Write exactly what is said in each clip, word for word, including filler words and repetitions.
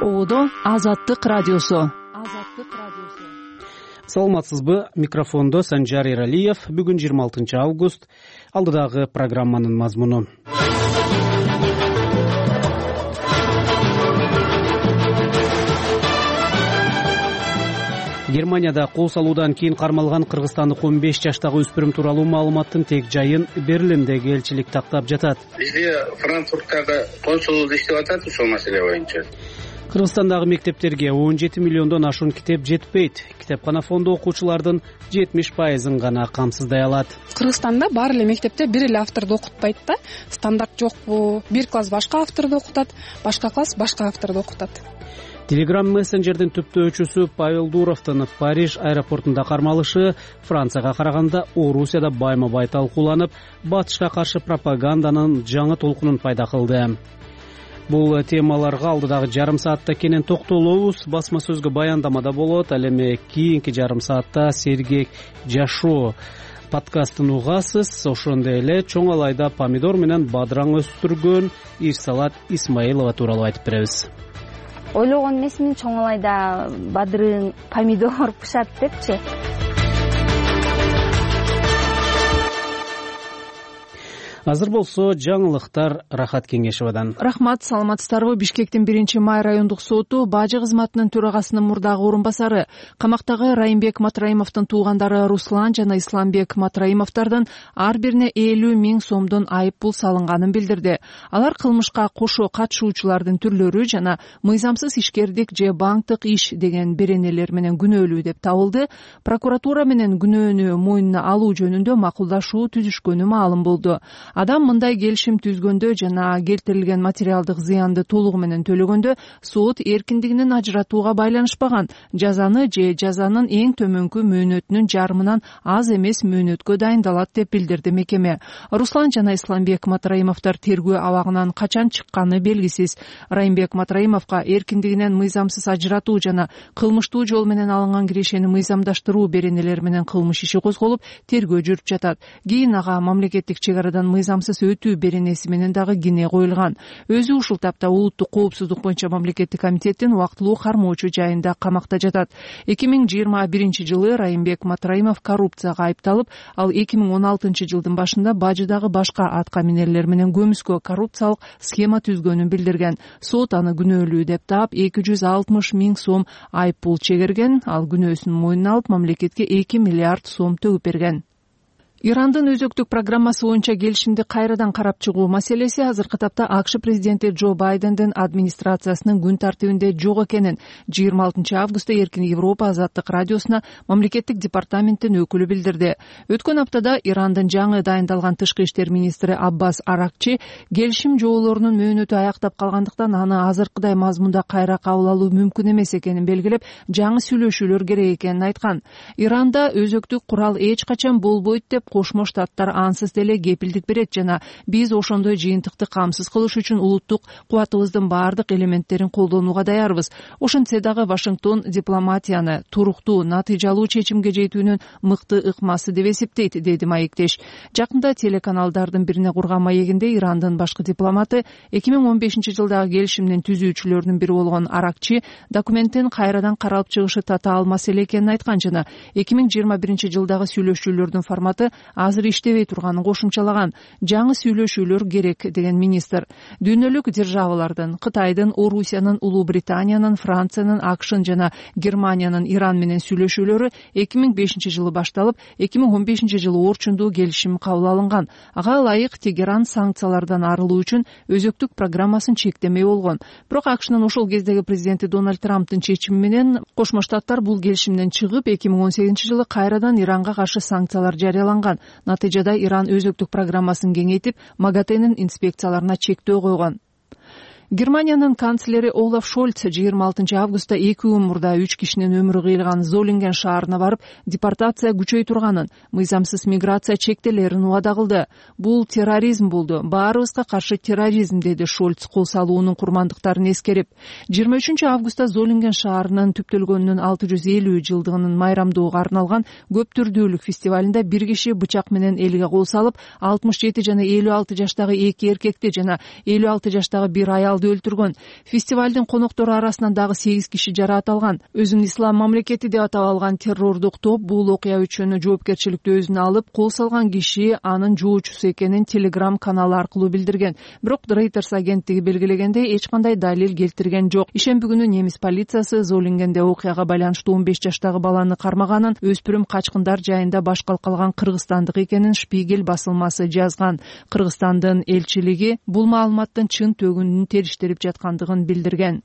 Оодо Азаттык радиосу. Азаттык радиосу. Саламатсызбы? Микрофондо Санжар Эралиев. Бүгүн жыйырма алтынчы август. Алдыдагы программанын мазмуну. Германияда кол салуудан кийин кармалган кыргызстандык он беш жаштагы өспүрүм тууралуу маалыматтын тек жайын Берлиндеги элчилик тактап жатат. Бизде Франкфурттагы консулдук иштеп атат ушул маселе боюнча. Кыргызстандагы мектептерге он жети миллиондон ашуун китеп жетпейт. Китепкана фонду окуучулардын жетимиш пайызын гана камсыздай алат. Кыргызстанда баары эле мектепте бир эле авторду окутпайт да. Стандарт жокпу? Бир класс башка авторду окутат, башка класс башка авторду окутат. Telegram мессенджердин түптөөчүсү Павел Дуровдун Париж аэропортунда кармалышы Францияга караганда Орусияда байма-бай талкууланып, батышка каршы пропаганданын жаңы толкунун пайда кылды. Бул темаларга алдыдагы жарым саатта кенен токтолобуз. Басма сөзгө баяндамада болот. Ал эми кийинки жарым саатта сергек жашоо подкастын угасыз. Ошондой эле чоң алайда помидор менен бадыраң өстүргөн Ирсалат Исмаилова тууралуу айтып беребиз. Ойлогон эмесмин, чоң алайда бадырың, помидор пышат депчи. Азыр болсо жаңылыктар Рахат Кеңешевадан. Рахмат, саламатсыздарбы? Бишкектин биринчи май райондук соту бажы кызматынын төрагасынын мурдагы орун басары камактагы Райымбек Матраимовдун туугандары Руслан жана Исламбек Матраимовдордун ар бирине элүү миң сомдон айып пул салынганын билдирди. Алар кылмышка кошо катышуучулардын түрлөрү жана мыйзамсыз ишкердик же банктык иш деген беренелер менен күнөөлүү деп табылды. Прокуратура менен күнөөнү мойнуна алуу жөнүндө макулдашуу түзүшкөнү маалым болду. Адам мындай келишим түзгөндө жана келтирилген материалдык зыянды толугу менен төлөгөндө сот эркиндигинин ажыратууга байланышпаган жазаны же жазанын эң төмөнкү мөөнөтүнүн жарымынан аз эмес мөөнөткө дайындалат деп билдирди мекеме. Руслан жана Исламбек Матраимовдор тергөө абагынан качан чыкканы белгисиз. Райымбек Матраимовго эркиндигинен мыйзамсыз ажыратуу жана кылмыштуу жол менен алынган кирешени мыйзамдаштыруу беренелери менен кылмыш иши козголуп, тергөө жүрүп жатат. Кийин ага мамлекеттик чек арадан мыйзамсыз өтүү беренеси менен дагы кине коюлган. Өзү ушул тапта улуттук коопсуздук боюнча мамлекеттик комитеттин убактылуу кармоочу жайында камакта жатат. эки миң жыйырма биринчи жылы Райымбек Матраимов коррупцияга айыпталып, ал эки миң он алтынчы жылдын башында бажыдагы башка атка минерлер менен көмүскө коррупциялык схема түзгөнүн билдирген. Сот аны күнөөлүү деп таап эки жүз алтымыш миң сом айып пул чегерген. Ал күнөөсүн мойнуна алып мамлекетке эки миллиард сом төгүп берген. Ирандын өзөктүк программасы боюнча келишимди кайрадан карап чыгуу маселеси азыркы тапта АКШ президенти Джо Байдендин администрациясынын күн тартибинде жок экенин жыйырма алтынчы августта Эркин Европа Азаттык радиосуна мамлекеттик департаменттин өкүлү билдирди. Өткөн аптада Ирандын жаңы дайындалган тышкы иштер министри Аббас Аракчи келишим жоолорунун мөөнөтү аяктап калгандыктан аны азыркыдай мазмунда кайра кабыл алуу мүмкүн эмес экенин белгилеп, жаңы сүйлөшүүлөр керек экенин айткан. Иранда өзөктүк курал эч качан болбойт деп Кошмо Штаттар ансыз деле кепилдик берет жана биз ошондой жыйынтыкты камсыз кылыш үчүн улуттук кубатыбыздын баардык элементтерин колдонууга даярбыз. Ошентсе дагы Вашингтон дипломатияны туруктуу, натыйжалуу чечимге жетүүнүн мыкты ыкмасы деп эсептейт, деди маектеш. Жакында телеканалдардын бирине курган маегинде Ирандын башкы дипломаты эки миң он бешинчи жылдагы келишимдин түзүүчүлөрүнүн бири болгон Аракчи документтин кайрадан каралып чыгышы татаал маселе экенин айткан жана эки миң жыйырма биринчи жылдагы сүйлөшүүлөрдүн форматы азыр иштебей турганын кошумчалаган. Жаңы сүйлөшүүлөр керек деген министр. Дүйнөлүк державалардын, Кытайдын, Орусиянын, Улуу Британиянын, Франциянын, АКШнын жана Германиянын Иран менен сүйлөшүүлөрү эки миң бешинчи жылы башталып, эки миң он бешинчи жылы орчундуу келишим кабыл алынган. Ага ылайык Тегеран санкциялардан арылуу үчүн өзөктүк программасын чектемей болгон. Бирок АКШнын ошол кездеги президенти Дональд Трамптын чечими менен Кошмо Штаттар бул келишимден чыгып, эки миң он сегизинчи жылы кайрадан Иранга каршы санкциялар жарыяланган. Натыйжада Иран өзөктүк программасын кеңейтип, МАГАТЭнин инспекцияларына чектөө койгон. Германиянын канцлери Олаф Шольц жыйырма алтынчы августта эки күн мурда үч кишинин өмүрү кыйылган Золинген шаарына барып, депортация күчөй турганын, мыйзамсыз миграция чектелерин убада кылды. Бул терроризм болду. Баарыбызга каршы терроризм, деди Шольц кол салуунун курмандыктарын эскерип. жыйырма үчүнчү августта Золинген шаарынын түптөлгөнүнүн алты жүз элүү жылдыгынын майрамдоого арналган көп түрдүүлүк фестивалында бир киши бычак менен элге кол салып, алтымыш жети жана элүү алты жаштагы эки эркекти жана элүү алты жаштагы бир аялды аялды өлтүргөн. Фестивалдын коноктору арасынан дагы сегиз киши жараат алган. Өзүн ислам мамлекети деп атап алган террордук топ бул окуя үчүн жоопкерчиликти өзүнө алып, кол салган киши анын жоочусу экенин Telegram каналы аркылуу билдирген. Бирок Reuters агенттиги белгилегендей эч кандай далил келтирген жок. Ишемби күнү немис полициясы Золингенде окуяга байланыштуу он беш жаштагы баланы кармаганын, өспүрүм качкындар жайында баш калкалган кыргызстандык экенин Шпигель басылмасы жазган. Кыргызстандын элчилиги бул маалыматтын чын төгүнүн териштирип жаткандыгын билдирген.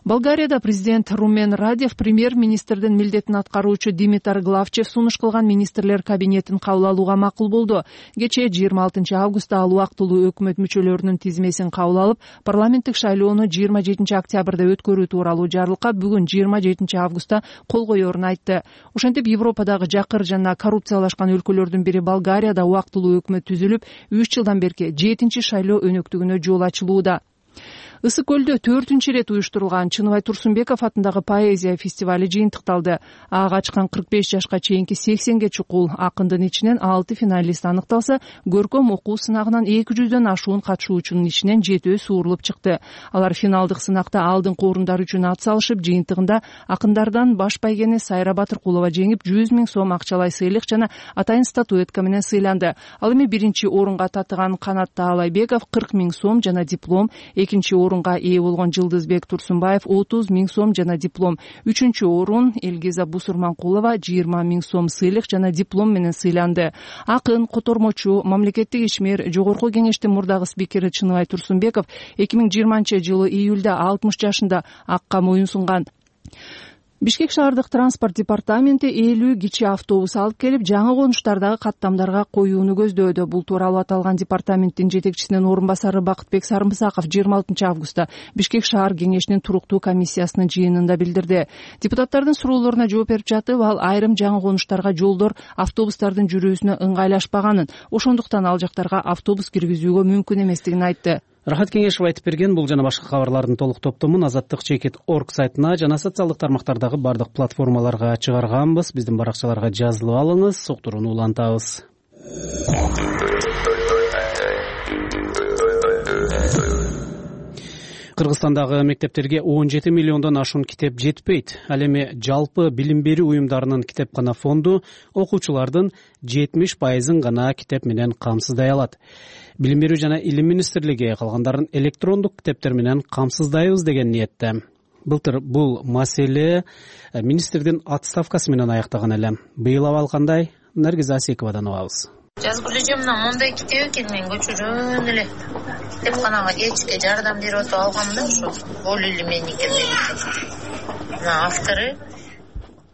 Болгарияда президент Румен Радев премьер-министрдин милдетин аткаруучу Димитар Главчев сунуш кылган министрлер кабинетин кабыл алууга макул болду. Кечээ жыйырма алтынчы августта ал убактылуу өкмөт мүчөлөрүнүн тизмесин кабыл алып, парламенттик шайлоону жыйырма жетинчи октябрда өткөрүү тууралуу жарлыкка бүгүн жыйырма жетинчи августта кол коерун айтты. Ошентип Европадагы жакыр жана коррупциялашкан өлкөлөрдүн бири Болгарияда убактылуу өкмөт түзүлүп, үч жылдан берки жетинчи шайлоо өнөктүгүнө жол ачылууда. Ысык көлдө төртүнчү ирет уюштурулган Чыныбай Турсунбеков атындагы поэзия фестивали жыйынтыкталды. Ага качкан кырк беш жашка чейинки сексенге чукул акындын ичинен алты финалист аныкталса, көркөм окуу сынагынан эки жүздөн ашуун катышуучунун ичинен жетөө суурулуп чыкты. Алар финалдык сынакта алдыңкы орундар үчүн ат салышып, жыйынтыгында акындардан баш байгени Сайра Батыркулова жеңип, жүз миң сом акчалай сыйлык жана атайын статуэтка менен сыйланды. Ал эми биринчи орунга татыган Канат Таалайбеков кырк миң сом жана диплом, экинчи орун орунга ээ болгон Жылдызбек Турсунбаев отуз миң сом жана диплом, үчүнчү орун Элгиза Бусурманкулова жыйырма миң сом сыйлык жана диплом менен сыйланды. Акын, котормочу, мамлекеттик ишмер, жогорку кеңештин мурдагы спикери Чыныбай Турсунбеков эки миң жыйырманчы жылы июлда алтымыш жашында акка моюн сунган. Бишкек шаардык транспорт департаменти элүү кичи автобус алып келип, жаңы конуштардагы каттамдарга коюуну көздөөдө. Бул тууралуу аталган департаменттин жетекчисинин орун басары Бакытбек Сарымсаков жыйырма алтынчы августта Бишкек шаар кеңешинин туруктуу комиссиясынын жыйынында билдирди. Депутаттардын суроолоруна жооп берип жатып, ал айрым жаңы конуштарга жолдор автобустардын жүрүүсүнө ыңгайлашпаганын, ошондуктан ал жактарга автобус киргизүүгө мүмкүн эместигин айтты. Рахат Кеңешев айтып берген. Бул жана башка кабарлардын толук топтомун азаттык чекит точка орг сайтына жана социалдык тармактардагы бардык платформаларга чыгарганбыз. Биздин баракчаларга жазылып алыңыз, соктурууну улантабыз. Кыргызстандагы мектептерге он жети миллиондон ашуун китеп жетпейт. Ал эми жалпы билим берүү уюмдарынын китепкана фонду окуучулардын жетимиш пайызын гана китеп менен камсыздай алат. Билим берүү жана илим министрлиги калгандарын электрондук китептер менен камсыздайбыз деген ниетте. Былтыр бул маселе министрдин отставкасы менен аяктаган эле. Быйыл абал кандай? Наргиз Асековадан угабыз. Жазгы режиминен мондай китеп экен, мен көчөрөн эле китепканага кечке жардам берип атып алгам да, ушу Болу или меники деген. Мына автору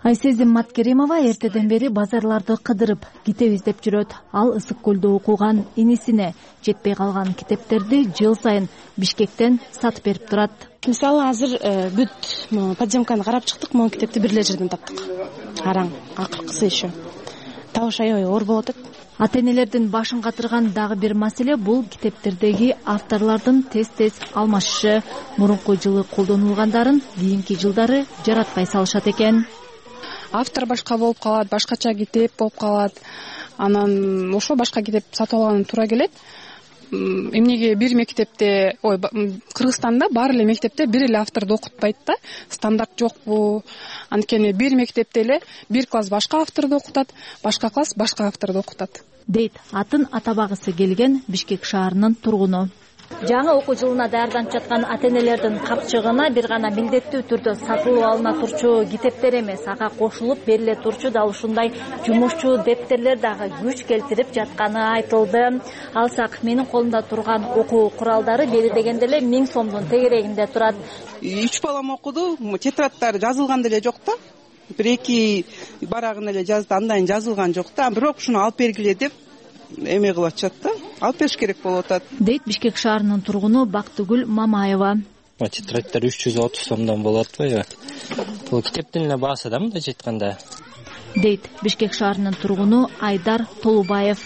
Айсезим Маткеримова эртеден бери базарларды кыдырып, китеп издеп жүрөт. Ал Ысык көлдө окуган инисине жетпей калган китептерди жыл сайын Бишкектен сатып берип турат. Мисалы азыр бүт подземканы карап чыктык, могу китепти бир эле жерден таптык. Араң, акыркысы еще. Табыш аябай оор болот. Ата-энелердин башын катырган дагы бир маселе бул китептердеги авторлордун тез-тез алмашышы. Мурунку жылы колдонулгандарын кийинки жылдары жаратпай салышат экен. Автор башка болуп калат, башкача китеп болуп калат. Анан ошо башка китеп сатып алган туура келет. Эмнеге бир мектепте, ой, Кыргызстанда баары эле мектепте бир эле авторду окутпайт да, стандарт жокпу. Анткени бир мектепте эле бир класс башка авторду окутат, башка класс башка авторду окутат. Дейт атын атабагысы келген Бишкек шаарынын тургуну. Жаңы окуу жылына даярданып жаткан ата-энелердин капчыгына бир гана милдеттүү түрдө сатылып алына турчу китептер эмес, ага кошулуп бериле турчу дал ушундай жумушчу дептерлер дагы күч келтирип жатканы айтылды. Алсак, менин колумда турган окуу куралдары бери дегенде эле миң сомдун тегерегинде турат. Үч балам окуду, тетрадтар жазылган деле жок да. Бир эки барагын эле жазды, андайын жазылган жок да. Бирок ушуну алып бергиле деп эме кылып атышат да. Алып бериш керек болуп атат. Дейт Бишкек шаарынын тургуну Бактыгүл Мамаева. Тетрадтар үч жүз отуз сомдон болот атпайбы? Бул китептин эле баасы да мындай айтканда. Дейт Бишкек шаарынын тургуну Айдар Толубаев.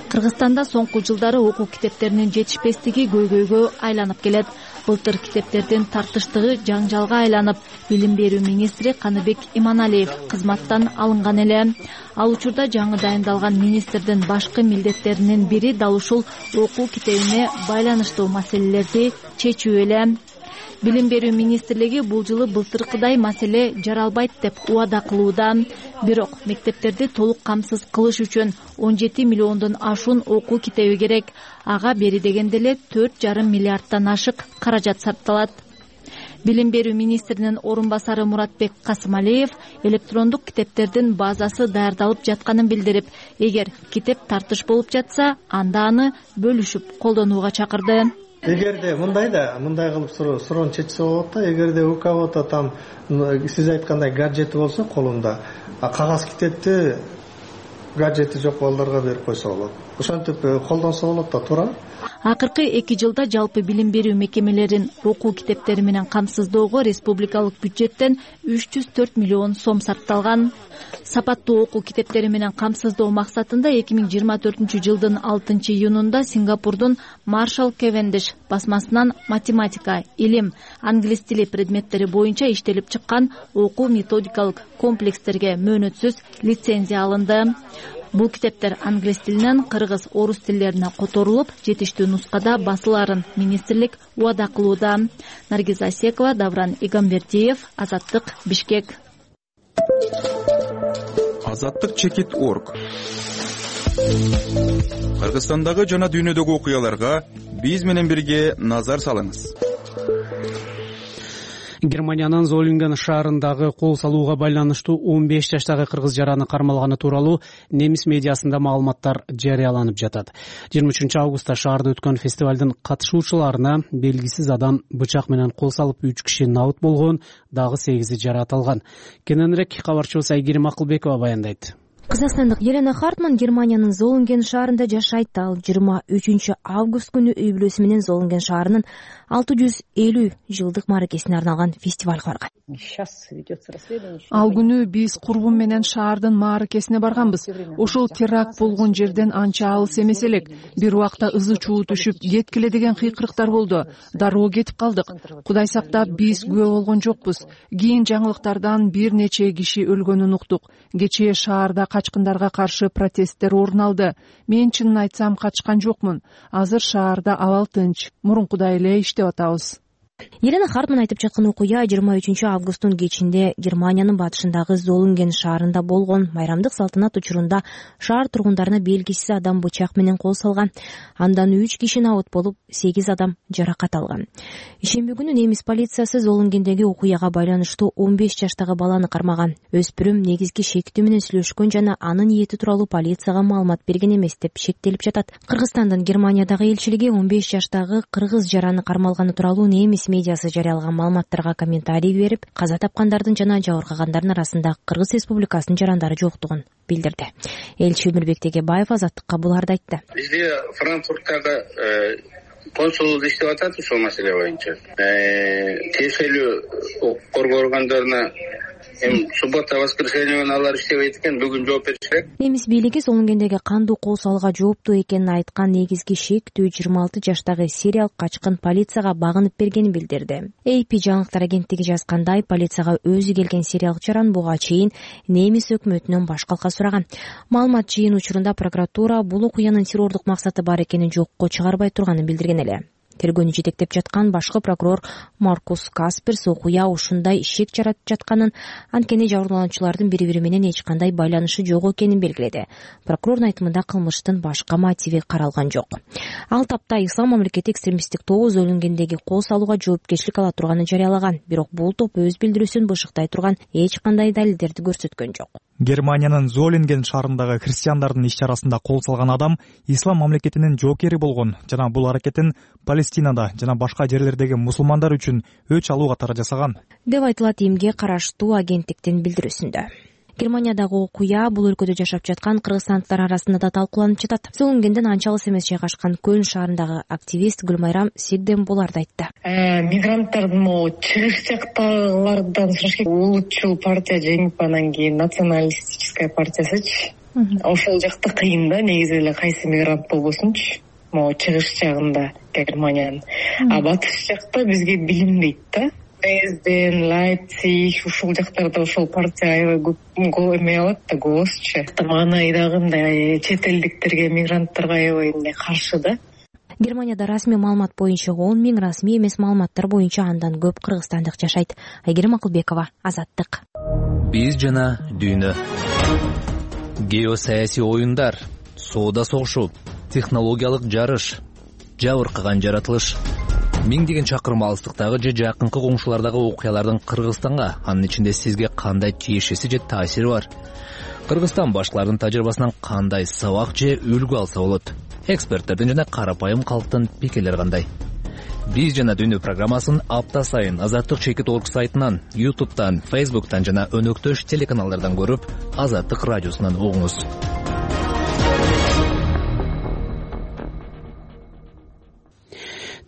Кыргызстанда соңку жылдары окуу китептеринин жетишпестиги көйгөйгө айланып келет. Былтыр китептердин тартыштыгы жаңжалга айланып, билим берүү министри Каныбек Иманалиев кызматтан алынган эле. Ал учурда жаңы дайындалган министрдин башкы милдеттеринин бири дал ушул окуу китебине байланыштуу маселелерди чечүү эле. Билим берүү министрлиги бул жылы былтыркыдай маселе жаралбайт деп убада кылууда. Бирок мектептерди толук камсыз кылыш үчүн он жети миллиондон ашуун окуу китеби керек. Ага бери дегенде эле төрт жарым миллиардтан ашык каражат сарпталат. Билим берүү министринин орун басары Муратбек Касымалиев электрондук китептердин базасы даярдалып жатканын билдирип, эгер китеп тартыш болуп жатса, анда аны бөлүшүп колдонууга чакырды. Эгерде мындай да мындай кылып суроону чечсе болот да, эгерде у кого-то там сиз айткандай гаджети болсо колунда, а кагаз китепти гаджети жок балдарга берип койсо болот. Ошентип колдонсо болот да, туура. Акыркы эки жылда жалпы билим берүү мекемелерин окуу китептери менен камсыздоого республикалык бюджеттен үч жүз төрт миллион сом сарпталган. Сапаттуу окуу китептери менен камсыздоо максатында эки миң жыйырма төртүнчү жылдын алтынчы июнунда Сингапурдун Маршал Кевендиш басмасынан математика, илим, англис тили предметтери боюнча иштелип чыккан окуу методикалык комплекстерге мөөнөтсүз лицензия алынды. Бул китептер англис тилинен кыргыз, орус тилдерине которулуп, жетиштүү нускада басыларын министрлик убада кылууда. Наргиз Асекова, Давран Игамбердиев, Азаттык, Бишкек. Азаттык чекит точка орг. Кыргызстандагы жана дүйнөдөгү окуяларга биз менен бирге назар салыңыз. Германиянын Золинген шаарындагы кол салууга байланыштуу он беш жаштагы кыргыз жараны кармалганы тууралуу немис медиасында маалыматтар жарыяланып жатат. жыйырма үчүнчү августта шаарда өткөн фестивалдын катышуучуларына белгисиз адам бычак менен кол салып үч киши набыт болгон, дагы сегизи жаракат алган. Кененирээк кабарчыбыз Айгерим Акылбекова баяндайт. Кыргызстандык Елена Хартман Германиянын Золинген шаарында жашайт. Ал жыйырма үчүнчү август күнү үй бүлөсү менен Золинген шаарынын алты жүз элүү жылдык мааракесине арналган фестивалга барган. Ал күнү биз курбум менен шаардын мааракесине барганбыз. Ошол теракт болгон жерден анча алыс эмес элек. Бир убакта ызы чуу түшүп, кеткиле деген кыйкырыктар болду. Дароо кетип калдык. Кудай сактап, биз күбө болгон жокпуз. Кийин жаңылыктардан бир нече киши өлгөнүн уктук. Кечээ шаарда качкындарга каршы протесттер орун алды. Мен чынын айтсам качкан жокмун. Азыр шаарда абал тынч. Мурункудай эле иштеп атабыз. Елена Хартман айтып жаткан окуя жыйырма үчүнчү августтун кечинде Германиянын батышындагы Золинген шаарында болгон. Майрамдык салтанат учурунда шаар тургундарына белгисиз адам бычак менен кол салган. Андан үч киши набыт болуп, сегиз адам жаракат алган. Ишемби күнү немис полициясы Золингендеги окуяга байланыштуу он беш жаштагы баланы кармаган. Өспүрүм негизги шектүү менен сүйлөшкөн жана анын ниети тууралуу полицияга маалымат берген эмес деп шектелип жатат. Кыргызстандын Германиядагы элчилиги он беш жаштагы кыргыз жараны кармалганы тууралуу немис медиасы жарыялаган маалыматтарга комментарий берип, каза тапкандардын жана жабыркагандардын арасында Кыргыз Республикасынын жарандары жоктугун билдирди. Элчи Өмүрбек Тегебаев Азаттыкка буларды айтты. Бизде Франкфурттагы консулдук иштеп атат ушул маселе боюнча. Тиешелүү коргоо органдарына эми суббота воскресенье күнү алар иштебейт экен, бүгүн жооп бериш керек. Немис бийлиги Золингендеги кандуу кол салууга жооптуу экенин айткан негизги шектүү жыйырма алты жаштагы сириялык качкын полицияга багынып бергенин билдирди. эй пи жаңылыктар агенттиги жазгандай, полицияга өзү келген сириялык жаран буга чейин немис өкмөтүнөн баш калка сураган. Маалымат жыйын учурунда прокуратура бул окуянын террордук максаты бар экенин жокко чыгарбай турганын билдирген эле. Тергөөнү жетектеп жаткан башкы прокурор Маркус Касперс окуя ушундай шек жаратып жатканын, анткени жабырлануучулардын бири-бири менен эч кандай байланышы жок экенин белгиледи. Прокурордун айтымында кылмыштын башка мотиви каралган жок. Ал тапта Ислам мамлекети экстремисттик тобу Золингендеги кол салууга жоопкерчилик ала турганын жарыялаган, бирок бул топ өз билдирүүсүн бышыктай турган эч кандай далилдерди көрсөткөн жок. Германиянын Золинген шаарындагы христиандардын иш-чарасында кол салган адам Ислам мамлекетинин жоокери болгон жана бул аракетин Палестинада жана башка жерлердеги мусулмандар үчүн өч алуу катары жасаган деп айтылат Имге караштуу агенттиктин билдирүүсүндө. Германиядагы окуя бул өлкөдө жашап жаткан кыргызстандыктар арасында да талкууланып жатат. Золингенден анча алыс эмес жайгашкан Көлн шаарындагы активист Гүлмайрам Сигден буларды айтты. Мигранттардын могу чыгыш жактагылардан сураш керек. Улутчул партия жеңип анан кийин националистическая партиясычы. Ошол жакта кыйын да, негизи эле кайсы мигрант болбосунчу. могу чыгыш жагында Германиянын, а батыш жакта бизге билинбейт да. Дрезден, Лайпциг ушул жактарда ошол партия аябай көп эме алат да, голосчу. Мага айдагы мындай чет элдиктерге, мигранттарга аябай мындай каршы да. Германияда расмий маалымат боюнча он миң, расмий эмес маалыматтар боюнча андан көп кыргызстандык жашайт. Айгерим Акылбекова, Азаттык. Биз жана дүйнө. Геосаясий оюндар, соода согушу, технологиялык жарыш, жабыркаган жаратылыш. Миңдеген чакырым алыстыктагы же жакынкы коңшулардагы окуялардын Кыргызстанга, анын ичинде сизге кандай тиешеси же таасири бар? Кыргызстан башкалардын тажрыйбасынан кандай сабак же үлгү алса болот? Эксперттердин жана карапайым калктын пикирлери кандай? Биз жана дүйнө программасын апта сайын Азаттык чекит орг сайтынан, ютубтан, фейсбуктан жана өнөктөш телеканалдардан көрүп, Азаттык радиосунан угуңуз.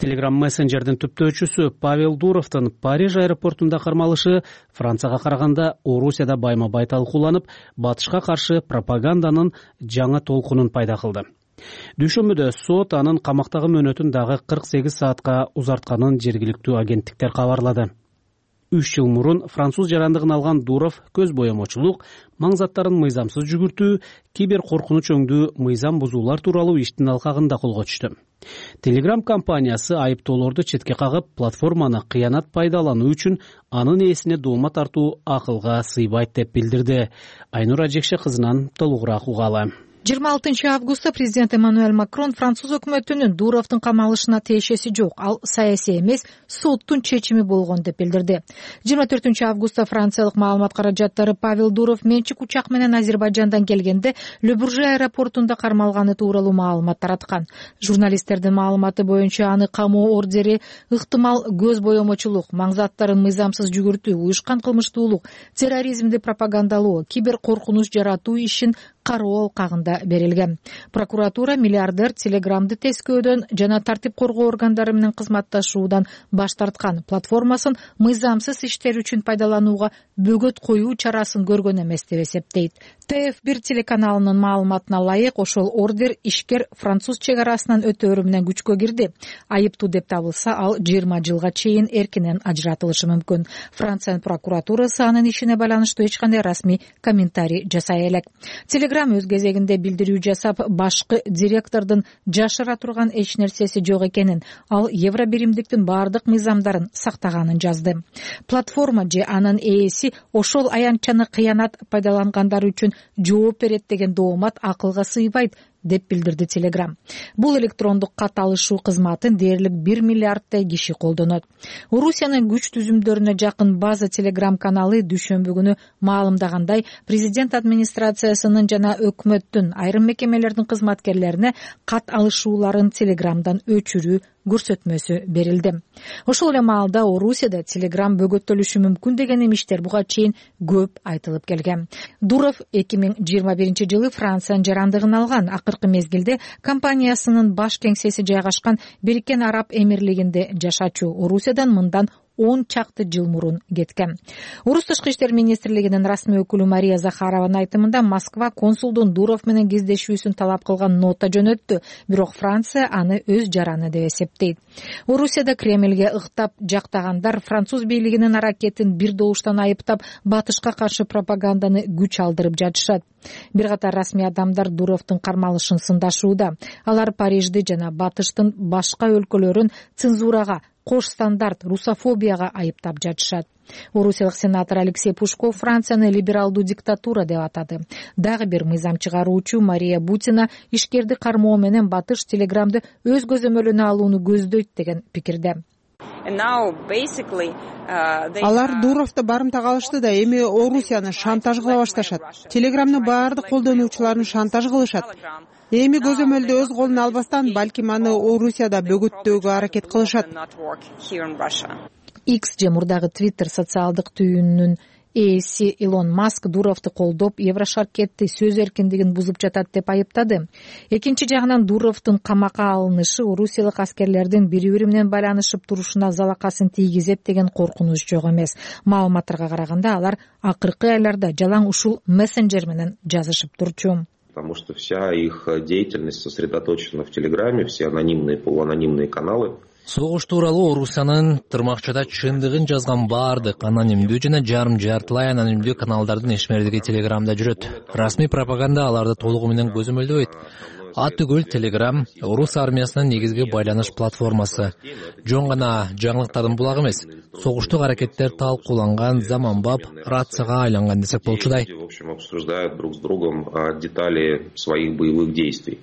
Telegram мессенджердин түптөөчүсү Павел Дуровдун Париж аэропортунда кармалышы Францияга караганда Орусияда байма-бай талкууланып, батышка каршы пропаганданын жаңы толкунун пайда кылды. Дүйшөмбүдө сот анын камактагы мөөнөтүн дагы кырк сегиз саатка узартканын жергиликтүү агенттиктер кабарлады. Үч жыл мурун француз жарандыгын алган Дуров көз боемочулук, маң заттарын мыйзамсыз жүгүртүү, кибер коркунуч өңдүү, мыйзам бузуулар тууралуу иштин алкагында колго түштү. Telegram компаниясы айыптоолорду четке кагып, платформаны кыянат пайдалануу үчүн анын ээсине доомат тартуу акылга сыйбайт деп билдирди. Айнура Жекше кызынан толугураак угалы. жыйырма алтынчы августта президент Эммануэль Макрон француз өкмөтүнүн Дуровдун камалышына тиешеси жок, ал саясий эмес, соттун чечими болгон деп билдирди. жыйырма төртүнчү августта франциялык маалымат каражаттары Павел Дуров менчик учак менен Азербайжандан келгенде Ле Бурже аэропортунда кармалганы тууралуу маалымат тараткан. Журналисттердин маалыматы боюнча аны камоо ордери ыктымал көз боемочулук, маң заттарын мыйзамсыз жүгүртүү, уюшкан кылмыштуулук, терроризмди пропагандалоо, кибер коркунуч жаратуу ишин кароо алкагында берилген. Прокуратура миллиардер Телеграмды тескөөдөн жана тартип коргоо органдары менен кызматташуудан баш тарткан, платформасын мыйзамсыз иштер үчүн пайдаланууга бөгөт коюу чарасын көргөн эмес деп эсептейт. Т Ф бир телеканалынын маалыматына ылайык, ошол ордер ишкер француз чек арасынан өтөөрү менен күчкө кирди. Айыптуу деп табылса, ал жыйырма жылга чейин эркинен ажыратылышы мүмкүн. Франциянын прокуратурасы анын ишине байланыштуу эч кандай расмий комментарий жасай элек. Телеграм өз кезегинде билдирүү жасап, башкы директордун жашыра турган эч нерсеси жок экенин, ал евро биримдиктин баардык мыйзамдарын сактаганын жазды. Платформа же анын ээси ошол аянтчаны кыянат пайдалангандар үчүн жооп берет деген доомат акылга сыйбайт деп билдирди Телеграм. Бул электрондук кат алышуу кызматын дээрлик бир миллиарддай киши колдонот. Орусиянын күч түзүмдөрүнө жакын база Телеграм каналы дүйшөмбү күнү маалымдагандай, президент администрациясынын жана өкмөттүн айрым мекемелердин кызматкерлерине кат алышууларын Телеграмдан өчүрүү көрсөтмөсү берилди. Ошол эле маалда Орусияда Телеграм бөгөттөлүшү мүмкүн деген имиштер буга чейин көп айтылып келген. Дуров эки миң жыйырма биринчи жылы Франциянын жарандыгын алган. Акыркы мезгилде компаниясынын баш кеңсеси жайгашкан Бириккен Араб Эмирлигинде жашачу. Орусиядан мындан он чакты жыл мурун кеткен. Орус тышкы иштер министрлигинин расмий өкүлү Мария Захарованын айтымында, Москва консулдун Дуров менен кездешүүсүн талап кылган нота жөнөттү, бирок Франция аны өз жараны деп эсептейт. Орусияда Кремльге ыктап жактагандар француз бийлигинин аракетин бир добуштан айыптап, батышка каршы пропаганданы күч алдырып жатышат. Бир катар расмий адамдар Дуровдун кармалышын сындашууда. Алар Парижди жана батыштын башка өлкөлөрүн цензурага, кош стандарт, русофобияга айыптап жатышат. Орусиялык сенатор Алексей Пушков Францияны либералдуу диктатура деп атады. Дагы бир мыйзам чыгаруучу Мария Бутина ишкерди кармоо менен батыш Телеграмды өз көзөмөлүнө алууну көздөйт деген пикирде. Алар Дуровду барымтага алышты да эми Орусияны шантаж кыла башташат. Телеграмны баардык колдонуучуларын шантаж кылышат. Эми көзөмөлдү өз колуна албастан, балким аны Орусияда бөгөттөөгө аракет кылышат. X же мурдагы Twitter социалдык түйүнүнүн ээси Илон Маск Дуровду колдоп, Еврошаркетти сөз эркиндигин бузуп жатат деп айыптады. Экинчи жагынан Дуровдун камакка алынышы орусиялык аскерлердин бири-бири менен байланышып турушуна залакасын тийгизет деген коркунуч жок эмес. Маалыматтарга караганда, алар акыркы айларда жалаң ушул мессенджер менен жазышып турчу. Потому что вся их деятельность сосредоточена в Телеграме, все анонимные, полуанонимные каналы. Согуш тууралуу Орусиянын тырмакчада чындыгын жазган баардык анонимдүү жана жарым жартылай анонимдүү каналдардын ишмердиги Телеграмда жүрөт. Расмий пропаганда аларды толугу менен көзөмөлдөбөйт. Атүгүл Телеграм орус армиясынын негизги байланыш платформасы. Жон гана жаңылыктардын булагы эмес, согуштук аракеттер талкууланган, заманбап рацияга айланган десек болчудай. В общем, обсуждают друг с другом детали своих боевых действий.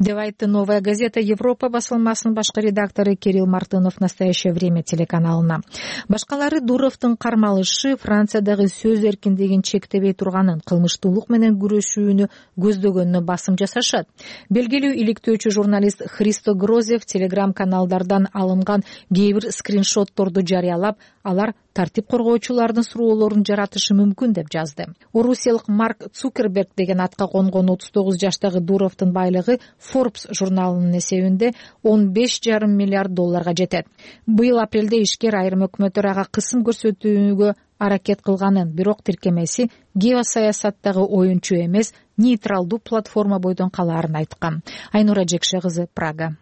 Деп айтты «Новая газета Европа» басылмасынын башкы редактору Кирилл Мартынов «Настоящее время» телеканалына. Башкалары Дуровдун кармалышы Франциядагы сөз эркиндигин чектебей турганын, кылмыштуулук менен күрөшүүнү көздөгөнүнө басым жасашат. Белгилүү иликтөөчү журналист Христо Грозев Телеграм каналдардан алынган кээ бир скриншотторду жарыялап, алар тартип коргоочулардын суроолорун жаратышы мүмкүн деп жазды. Орусиялык Марк Цукерберг деген атка конгон отуз тогуз жаштагы Дуровдун байлыгы Forbes журналынын эсебинде он беш жарым миллиард долларга жетет. Быйыл апрелде ишкер айрым өкмөттөр ага кысым көрсөтүүгө аракет кылганын, бирок тиркемеси геосаясаттагы оюнчу эмес, нейтралдуу платформа бойдон калаарын айткан. Айнура Жекше кызы, Прага.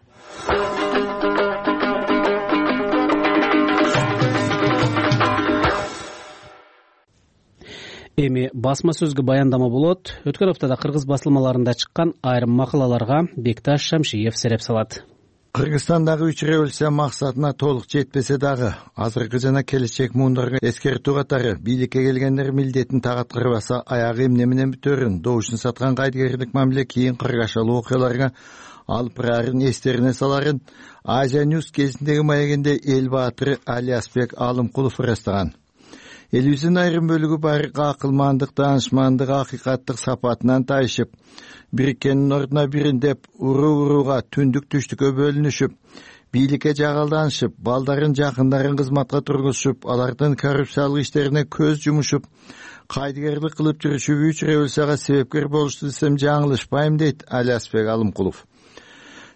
Эми басма сөзгө баяндама болот. Өткөн аптада кыргыз басылмаларында чыккан айрым макалаларга Бекташ Шамшиев сереп салат. Кыргызстандагы үч революция максатына толук жетпесе дагы, азыркы жана келечек муундарга эскертүү катары бийликке келгендер милдетин тагыткырбаса аягы эмне менен бүтөрүн, добушун саткан кайдыгерлик мамиле кийин кыргашалуу окуяларга алып барарын эстерине саларын Азия Ньюс кезиндеги маегинде эл баатыры Алиасбек Алымкулов ырастаган. Элибиздин айрым бөлүгү барык акылмандык, даанышмандык, акыйкаттык сапатынан тайышып, бириккендин ордуна бирин деп уруу-урууга түндүк түштүккө бөлүнүшүп, бийликке жагалданышып, балдарын жакындарын кызматка тургузушуп, алардын коррупциялык иштерине көз жумушуп, кайдыгерлик кылып жүрүшүп үч революцияга себепкер болушту десем жаңылышпайм, дейт Алиасбек Алымкулов.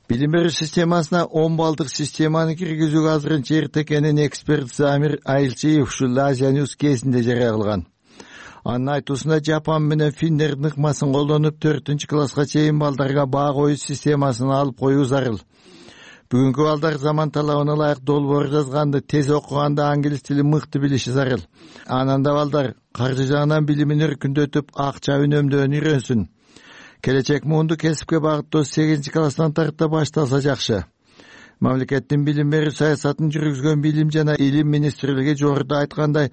Билим берүү системасына он балдык системаны киргизүүгө азырынча эрте экенин эксперт Замир Айылчиев ушул Азия Ньюс кезинде жарыя кылган. Анын айтуусунда Жапон менен финдердин ыкмасын колдонуп төртүнчү класска чейин балдарга баа коюу системасын алып коюу зарыл. Бүгүнкү балдар заман талабына ылайык долбоор жазганды, тез окуганды, англис тилин мыкты билиши зарыл. Анан да балдар каржы жагынан билимин өркүндөтүп, акча үнөмдөөнү үйрөнсүн. Келечек муунду кесипке багыттоо сегизинчи класстан тарта башталса жакшы. Мамлекеттин билим берүү саясатын жүргүзгөн Билим жана Илим министрлиги жогоруда айткандай,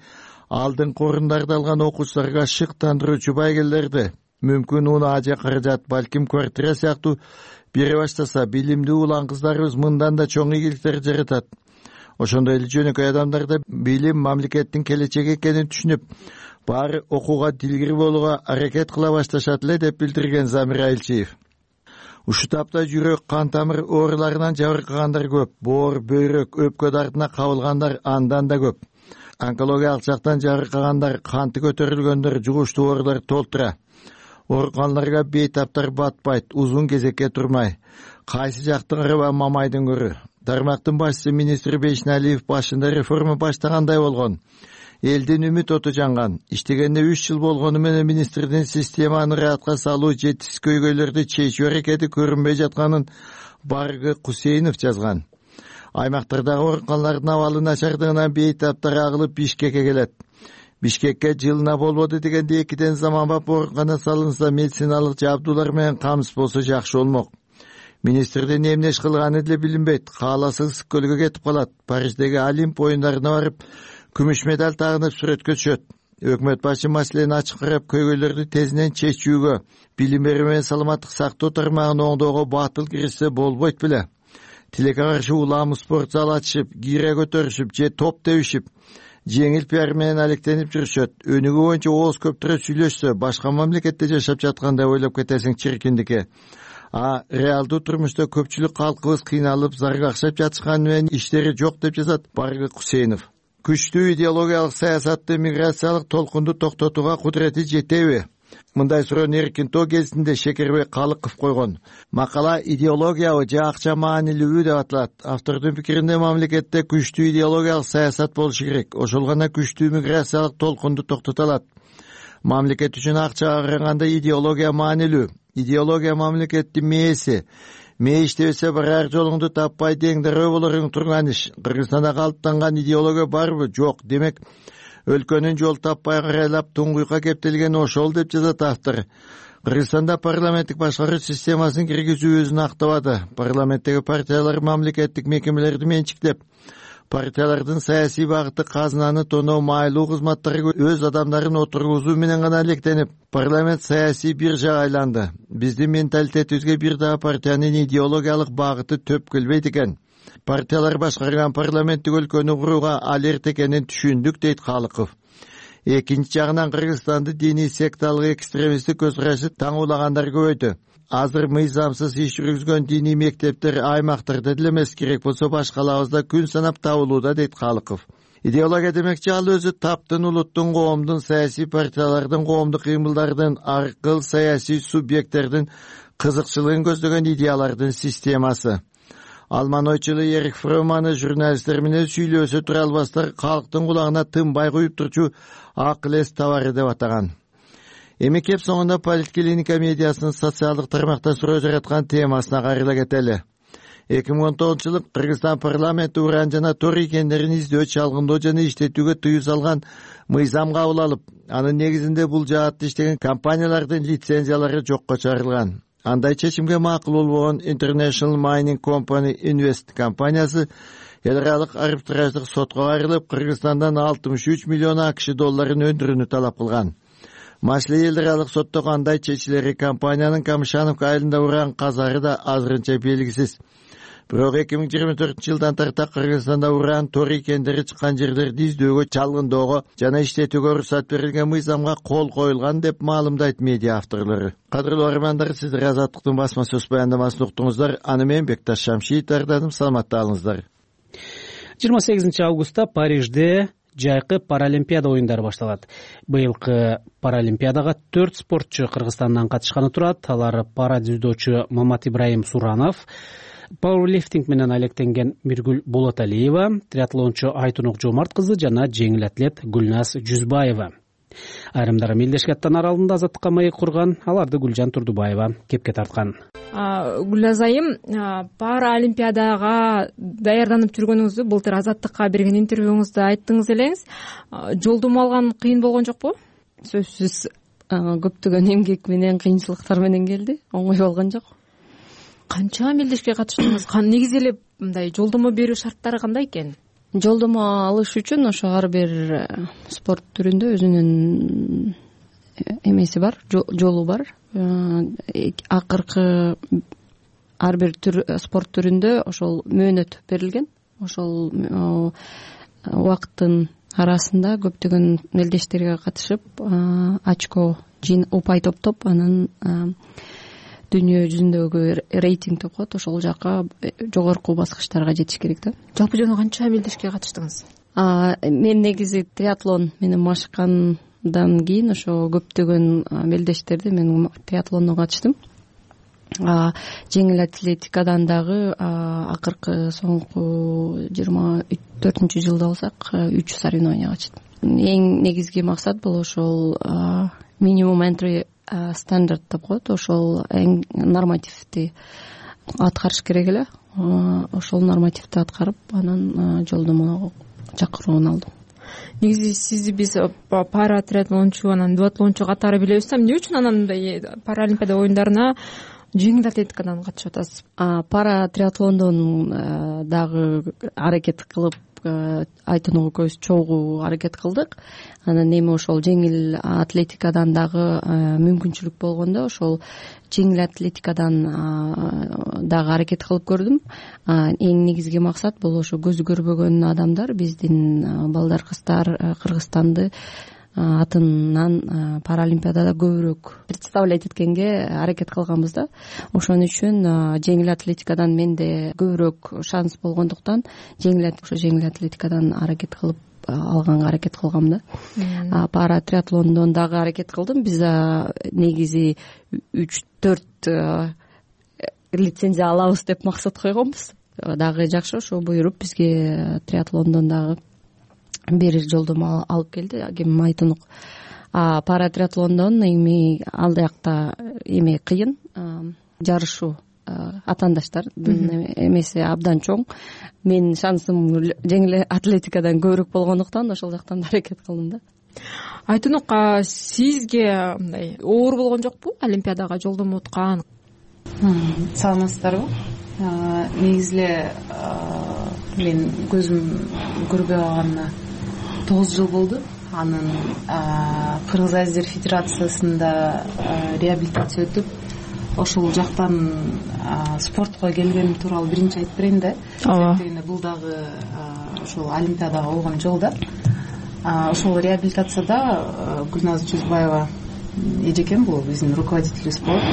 алдыңкы орундарды алган окуучуларга шыктандыруучу байгелерди, мүмкүн унаа же каражат, балким квартира сыяктуу бере баштаса, билимдүү улан кыздарыбыз мындан да чоң ийгиликтер жаратат. Ошондой эле жөнөкөй адамдарда билим мамлекеттин келечеги экенин түшүнүп, баары окууга дилгир болууга аракет кыла башташат эле, деп билдирген Замир Айылчиев. Ушул тапта жүрөк, кан тамыр ооруларынан жабыркагандар көп, боор, бөйрөк, өпкө дартына кабылгандар андан да көп. Онкологиялык жактан жабыркагандар, канты көтөрүлгөндөр, жугуштуу оорулар толтура. Ооруканаларга бейтаптар батпайт, узун кезекке турмай. Кайсы жактын ырыба мамайдын көрү. Тармактын башчысы министр Бейшналиев башында реформа баштагандай болгон. Элдин үмүт оту жанган. Иштегенде үч жыл болгону менен министрдин системаны ыраатка салуу жетишсиз көйгөйлөрдү чечүү аракети көрүнбөй жатканын Баргы Кусейнов жазган. Аймактардагы ооруканалардын абалы начардыгынан бейтаптар агылып Бишкекке келет. Бишкекке жылына болбоду дегенде экиден заманбап оорукана салынса, медициналык жабдуулар менен камсыз болсо жакшы болмок. Министрдин эмне иш кылганы деле билинбейт. Кааласа ысык көлгө кетип калат. Париждеги Олимп оюндарына барып күмүш медаль тагынып сүрөткө түшөт. Өкмөт башы маселени ачык карап, көйгөйлөрдү тезинен чечүүгө, билим берүү менен саламаттык сактоо тармагын оңдоого батыл киришсе болбойт беле. Тилекке каршы улам спорт зал ачышып, кире көтөрүшүп же топ тебишип, жеңил пиар менен алектенип жүрүшөт. Өнүгүү боюнча ооз көптүрө сүйлөшсө, башка мамлекетте жашап жаткандай ойлоп кетесиң чиркиндикке. А реалдуу турмушта көпчүлүк калкыбыз кыйналып, заргакшап жатышканы менен иштери жок, деп жазат Баргы Кусейнов. Күчтүү идеологиялык саясатты, миграциялык толкунду токтотууга кудурети жетеби? Мындай суроону Эркинтоо кезинде Шекербек Калыков койгон. Макала идеологиябы же акча маанилүүбү деп аталат. Автордун пикиринде мамлекетте күчтүү идеологиялык саясат болушу керек. Ошол гана күчтүү миграциялык толкунду токтото алат. мамлекет үчүн акчага караганда идеология маанилүү. Идеология мамлекеттин мээси. Мээ иштебесе барар жолуңду таппай деңдерөө болоруң турган иш. Кыргызстанда калыптанган идеология барбы? Жок. Демек, өлкөнүн жол таппай карайлап туңгуйка кептелген ошол деп жазат автор. Кыргызстанда парламенттик башкаруу системасын киргизүү өзүн актабады. Парламенттеги партиялар мамлекеттик мекемелерди менчиктеп, партиялардын саясий багыты казынаны тоноо, майлуу кызматтарга өз адамдарын отургузуу менен гана электенип, парламент саясий биржага айланды. Биздин менталитетибизге бир дагы партиянын идеологиялык багыты төп келбейт экен. Партиялар башкарган парламенттик өлкөнү курууга алерт экенин түшүндүк, дейт Калыков. Экинчи жагынан Кыргызстанды диний секталык экстремисттик көз карашы таңуулагандар көбөйдү. Азыр мыйзамсыз иш жүргүзгөн диний мектептер аймактарда деле эмес, керек болсо башкалабызда күн санап табылууда, дейт Калыков. Идеология демекчи ал өзү таптын, улуттун, коомдун, саясий партиялардын, коомдук кыймылдардын, аркыл саясий субъекттердин кызыкчылыгын көздөгөн идеялардын системасы. Алман ойчулу Эрик Фроманы журналисттер менен сүйлөсө тура албастар калктын кулагына тынбай куюп турчу акыл эс товары деп атаган. Эми кеп соңунда Политклиника медиасынын социалдык тармакта суроо жараткан темасына кайрыла кетели. эки миң он тогузунчу жылы Кыргызстан парламенти уран жана тор икендерин издөө, чалгындоо жана иштетүүгө тыюу салган мыйзам кабыл алып, анын негизинде бул жаатта иштеген компаниялардын лицензиялары жокко чыгарылган. Андай чечимге макул болбогон International Mining Company Invest компаниясы эл аралык арбитраждык сотко кайрылып, Кыргызстандан алтымыш үч миллион АКШ долларын өндүрүүнү талап кылган. Машле эл аралык сотто кандай чечилери, компаниянын Камышановка айылында уран казары да азырынча белгисиз. Бирок эки миң жыйырма төртүнчү жылдан тарта Кыргызстанда уран тор икендери чыккан жерлерди издөөгө, чалгындоого жана иштетүүгө уруксат берилген мыйзамга кол коюлган деп маалымдайт медиа авторлору. Кадырлуу армандар, сиздер Азаттыктын басма сөз баяндамасын уктуңуздар. Аны мен Бекташ Шамшиев даярдадым. Саламатта калыңыздар. жыйырма сегизинчи августта Парижде жайкы паралимпиада оюндары башталат. Быйылкы паралимпиадага төрт спортчу Кыргызстандан катышканы турат. Алар пара дзюдочу Мамат Ибраим Суранов, пауэрлифтинг менен алектенген Миргүл Болоталиева, триатлончу Айтунук Жомарт кызы жана жеңил атлет Гүлназ Жүзбаева. Айрымдары Мелдешкаттан аралында азаттыкка маек курган, аларды Гүлжан Турдубаева кепке тарткан. Гүлназ айым, паралимпиадага даярданып жүргөнүңүздү былтыр Азаттыкка берген интервьюңузда айттыңыз элеңиз. Жолдомо алган кыйын болгон жокпу? Сөзсүз көптөгөн эмгек менен, кыйынчылыктар менен келди. Оңой болгон жок. Канча мелдешке катыштыңыз? Негизи эле мындай жолдомо берүү шарттары кандай экен? Жолдомо алыш үчүн ошо ар бир спорт түрүндө өзүнүн эмеси бар, жолу бар. Акыркы ар бир спорт түрүндө ошол мөөнөт берилген. Ошол убакыттын арасында көптөгөн мелдештерге катышып, очко жин упай топтоп, анан дүйнө жүзүндөгү рейтинг деп коет, ошол жака жогорку баскычтарга жетиш керек да. Жалпы жана канча мелдешке катыштыңыз? Мен негизи триатлон менен машыккандан кийин ошо көптөгөн мелдештерди мен триатлонго катыштым. Жеңил атлетикадан дагы акыркы соңку жыйырма төртүнчү жылда болсак үч соревнования катыштым. Эң негизги максат бул ошол минимум entry стандарт деп коет, ошол эң нормативди аткарыш керек эле. Ошол нормативди аткарып, анан жолдомо чакыруун алдым. Негизи сизди биз пара триатлончу, анан дуатлончу катары билебиз да, эмне үчүн анан мындай паралимпиада оюндарына жеңил атлетикадан катышып атасыз? Пара триатлондон дагы аракет кылып, Айтунук экөөбүз чогуу аракет кылдык. Анан эми ошол жеңил атлетикадан дагы мүмкүнчүлүк болгондо ошол жеңил атлетикадан дагы аракет кылып көрдүм. Эң негизги максат бул ошо көзү көрбөгөн адамдар, биздин балдар, кыздар Кыргызстанды атынан паралимпиадада көбүрөөк представлять эткенге аракет кылганбыз да. Ошон үчүн жеңил атлетикадан менде көбүрөөк шанс болгондуктан жеңил ошо жеңил атлетикадан аракет кылып алганга аракет кылгам да. Пара триатлондон дагы аракет кылдым. Биз негизи үч төрт лицензия алабыз деп максат койгонбуз. Дагы жакшы, ошо буйруп бизге триатлондон дагы бир жолдомо алып келди. Ким Айтунук а паратриатлондон эми ал жакта эме кыйын, жарышуу атаандаштардын эмеси абдан чоң. Менин шансым жеңил атлетикадан көбүрөөк болгондуктан ошол жактан аракет кылдым да. Айтунук, сизге мындай оор болгон жокпу Олимпиадага жолдомо уткан? Саламатсыздарбы? Негизи эле мен көзүм көрбөй калганына тогуз жыл болду. Анын Кыргыз Азиздер Федерациясында реабилитация өтүп, ошол жактан спортко келгеним тууралуу биринчи айтып берейин да. Себеби бул дагы ошол Олимпиадага болгон жол да. Ошол реабилитацияда Гүлназ Чүзбаева эжекем, бул биздин руководителибиз болот.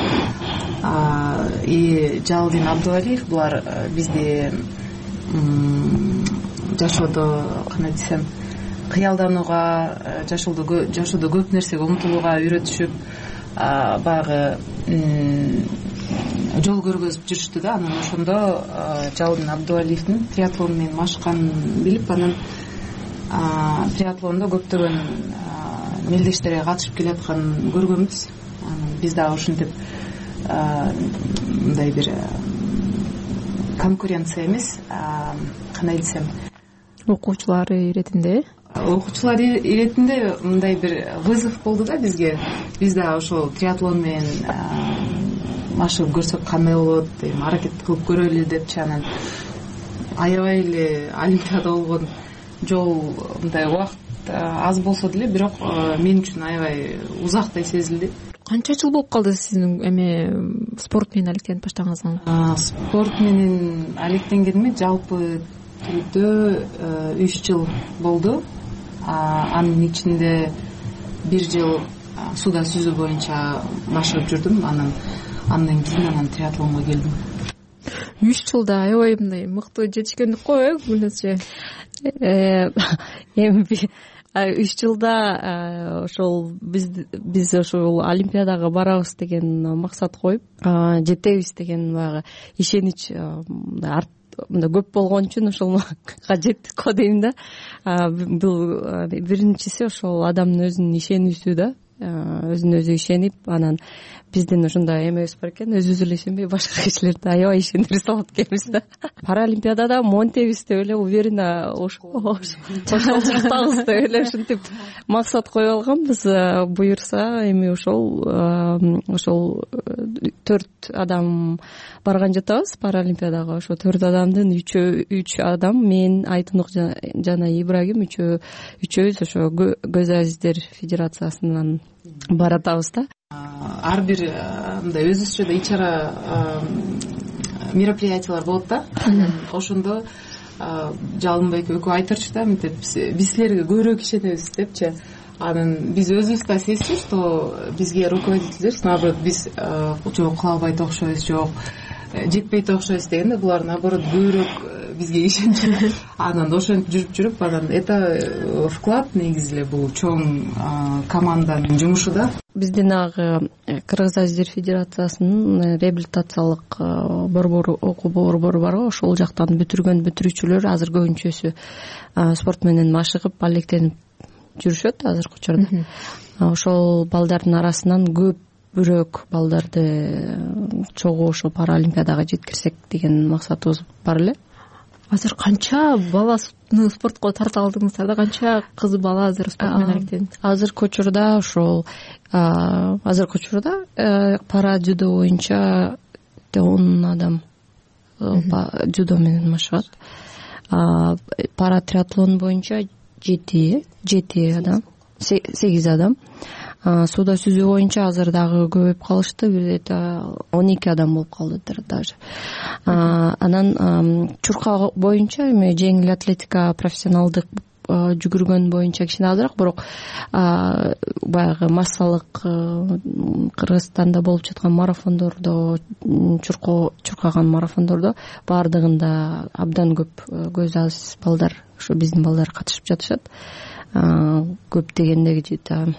И Жалалдин Абдувалиев, булар бизди жашоодо кандай десем, кыялданууга, жашоодо жашоодо көп нерсеге умтулууга үйрөтүшүп, баягы жол көргөзүп жүрүштү да. Анан ошондо Жалалдин Абдувалиевдин триатлон менен машыкканын билип, анан триатлондо көптөгөн мелдештерге катышып келатканын көргөнбүз. Анан биз дагы ушинтип мындай бир конкуренция эмес, кандай десем, окуучулар иретинде окуучулар иретинде мындай бир вызов болду да бизге. Биз дагы ошол триатлон менен машыгып көрсөк кандай болот, эми аракет кылып көрөлү депчи. Анан аябай эле Олимпиада болгон жол, мындай убакыт аз болсо деле, бирок мен үчүн аябай узактай сезилди. Канча жыл болуп калды сиздин эме спорт менен алектенип баштаганыңызга? Спорт менен алектенгениме жалпы түрдө үч жыл болду. Анын ичинде бир жыл сууда сүзүү боюнча машыгып жүрдүм. Анан андан кийин анан триатлонго келдим. Үч жылда аябай мындай мыкты жетишкендик го, э, Гүлназчы? Эми үч жылда ошол биз биз ошол Олимпиадага барабыз деген максат коюп, жетебиз деген баягы ишенич мындай көп болгон үчүн ошолго жеттик го дейм да. Бул биринчиси ошол адамдын өзүнүн ишенүүсү да. Өзүнө өзү ишенип, анан биздин ошондой эмебиз бар экен, өзүбүз эле ишенбей башка кишилерди аябай ишендире салат экенбиз да. Паралимпиадада монтебиз деп эле уверенно ошол жактабыз деп эле ушинтип максат коюп алганбыз. Буюрса эми ошол ошол төрт адам барган жатабыз Паралимпиадага. Ошо төрт адамдын үчөө үч адам, мен, Айтунук жана Ибрагим үчөө үчөөбүз ошо Көз Азиздер Федерациясынан баратабыз да. Ар бир мындай өзүбүзчө да ичара мероприятиялар болот да. Ошондо Жалынбек экөө айтырчу да, мынтип биз силерге көбүрөөк ишенебиз депчи. Анан биз өзүбүз да сезчү, что бизге руководителдер, наоборот, биз жок кыла албайт окшойбуз, жок жетпейт окшойбуз дегенде, булар наоборот көбүрөөк бизге ишенчү. Анан ошентип жүрүп жүрүп, анан это вклад негизи эле бул чоң команданын жумушу да. Биздин агы Кыргыз Азиздер Федерациясынын реабилитациялык борбору, окуу борбору бар го. Ошол жактан бүтүргөн бүтүрүүчүлөр азыр көбүнчөсү спорт менен машыгып, алектенип жүрүшөт азыркы учурда. Ошол балдардын арасынан көбүрөөк балдарды чогуу ошо Паралимпиадага жеткирсек деген максатыбыз бар эле. Азыр канча баланы спортко тарта алдыңыздар да? Канча кыз бала азыр спорт менен алектенет? Азыркы учурда ошол азыркы учурда пара дзюдо боюнча он адам дзюдо менен машыгат. Пара триатлон боюнча жети жети адам, сегиз адам. Сууда сүзүү боюнча азыр дагы көбөйүп калышты, бир он эки адам болуп калдыдар даже. Анан чурка боюнча эми жеңил атлетика профессионалдык жүгүргөн боюнча кичине азыраак, бирок баягы массалык Кыргызстанда болуп жаткан марафондордо, чурко чуркаган марафондордо баардыгында абдан көп көз аз балдар, ошо биздин балдар катышып жатышат. Көп дегенде где-то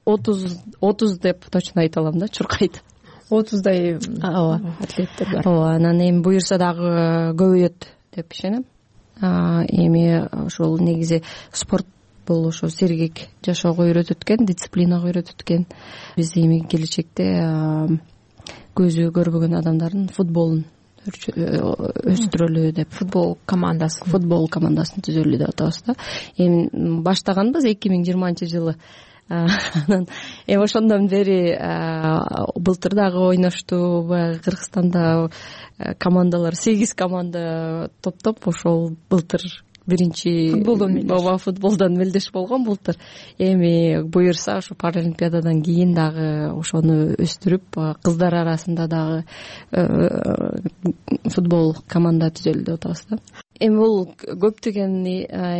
отуз отуз деп точно айта алам да, чуркайт. отуздай атлеттер бар. Ооба, анан эми буюрса дагы көбөйөт деп ишенем. Эми ошол негизи спорт бул ошо сергек жашоого үйрөтөт экен, дисциплинага үйрөтөт экен. Биз эми келечекте көзү көрбөгөн адамдардын футболун өстүрөлү деп футбол командасы футбол командасын түзөлү деп атабыз да. Эми баштаганбыз эки миң жыйырманчы жылы. Анан эми ошондон бери былтыр дагы ойношту. Баягы Кыргызстанда командалар сегиз команда топтоп ошол былтыр биринчи футболдон ооба футболдон мелдеш болгон былтыр. Эми буюрса ошо паралимпиададан кийин дагы ошону өстүрүп кыздар арасында дагы футбол команда түзөлү деп атабыз да. Эми бул көптөгөн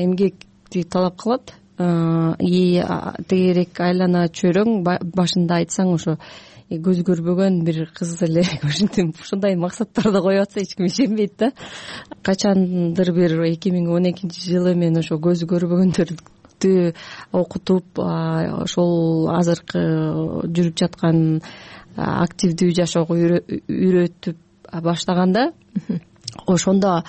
эмгекти талап кылат. И тегерек айлана чөйрөң башында айтсаң ошо көз көрбөгөн бир кыз эле ушинтип ушундай максаттарды коюп атса эч ким ишенбейт да. Качандыр бир эки миң он экинчи жылы мен ошо көз көрбөгөндөрдү окутуп ошол азыркы жүрүп жаткан активдүү жашоого үйрөтүп баштаганда ошондо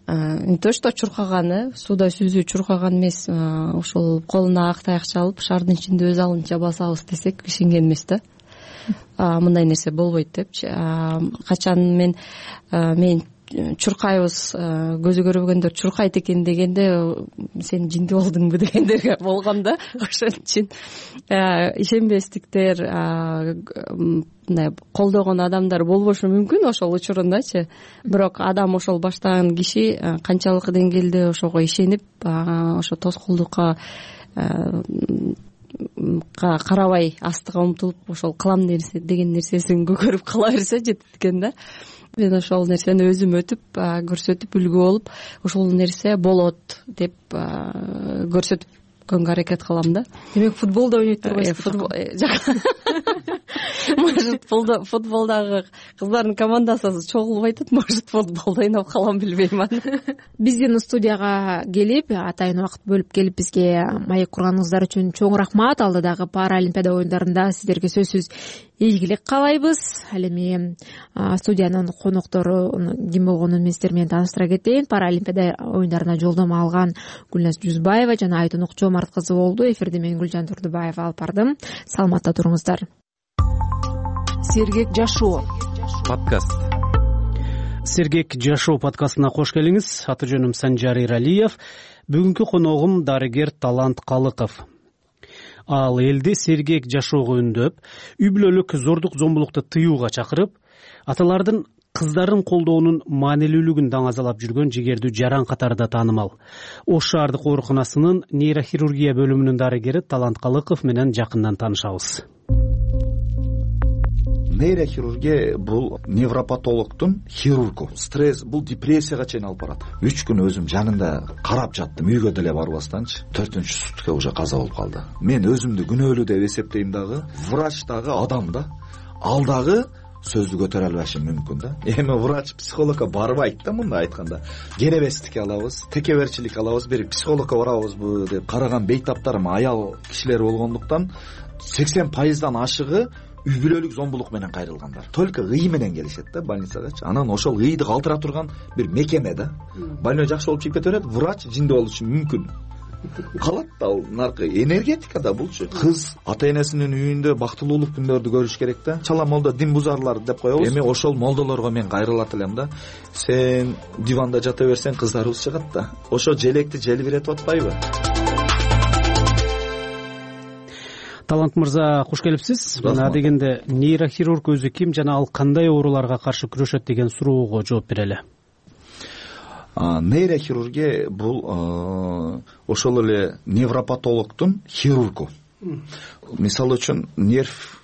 не то что чуркаган, э сууда сүзүү чуркаган эмес, ошол колуна ак таякча алып шаардын ичинде өз алынча басабыз десек ишенген эмес да. Мындай нерсе болбойт депчи. Качан мен мен чуркайбыз, көзү көрбөгөндөр чуркайт экен дегенде сен жинди болдуңбу дегендер болгон да. Ошон үчүн ишенбестиктер, мындай колдогон адамдар болбошу мүмкүн ошол учурундачы. Бирок адам ошол баштаган киши канчалык деңгээлде ошого ишенип, ошо тоскоолдукка карабай астыга умтулуп ошол кылам нерсе деген нерсесин көгөрүп кала берсе жетет экен да. Мен ошол нерсени өзүм өтүп көрсөтүп үлгү болуп ошол нерсе болот деп көрсөтүпкөнгө аракет кылам да. Демек футболдо ойнойт турбайсыз? Может футболдогу кыздардын командасы чогулбай атат, может футболдо ойноп калам, билбейм аны. Биздин студияга келип, атайын убакыт бөлүп келип бизге маек курганыңыздар үчүн чоң рахмат. Алдыдагы Паралимпиада оюндарында сиздерге сөзсүз ийгилик каалайбыз. Ал эми студиянын коноктору ким болгонун мен сиздер менен тааныштыра кетейин. Паралимпиада оюндарына жолдомо алган Гүлназ Жүзбаева жана Айтын Окчомарт кызы болду. Эфирде мен Гүлжан Турдубаева алып бардым. Саламатта туруңуздар. Сергек жашоо подкаст. Сергек жашоо подкастына кош келиңиз. Аты жөнүм Санжар Иралиев. Бүгүнкү коногум дарыгер Талант Калыков. Ал элди сергек жашоого үндөп, үй бүлөлүк зордук зомбулукту тыюуга чакырып, аталардын кыздарын колдоонун маанилүүлүгүн даңазалап жүргөн жигердүү жаран катарында таанымал. Ош шаардык ооруканасынын нейрохирургия бөлүмүнүн дарыгери Талант Калыков менен жакындан таанышабыз. Нейрохирургия бул невропатологдун хирургу. Стресс бул депрессияга чейин алып барат. үч күн өзүм жанында карап жаттым, үйгө деле барбастанчы. төртүнчү сутка уже каза болуп калды. Мен өзүмдү күнөөлүү деп эсептейм дагы, врач дагы адам да. Ал дагы сөздү көтөрө албашы мүмкүн да. Эми врач психологко барбайт да, мындай айтканда. Керебестик алабыз, текеберчилик алабыз, бир психологко барабызбы деп караган бейтаптарым аял кишилер болгондуктан сексен пайыздан ашыгы үй бүлөлүк зомбулук менен кайрылгандар. Только ый менен келишет да больницагачы. Анан ошол ыйды калтыра турган бир мекеме да. Больной жакшы болуп чыгып кете берет, врач жинди болушу мүмкүн. Калат ал наркы энергетика да булчу. Кыз ата энесинин үйүндө бактылуулук күндөрдү көрүш керек да. Чала молдо дин бузарлар деп коебуз. Эми ошол молдолорго мен кайрылат элем да. Сен диванда жата берсең кыздарыбыз чыгат да. Ошо желекти желбиретип атпайбы? Талант мырза, кош келипсиз. Мына дегенде нейрохирург өзү ким жана ал кандай ооруларга каршы күрөшөт деген суроого жооп берели. Нейрохирургия бул ошол эле невропатологдун хирургу. Мисалы үчүн нерв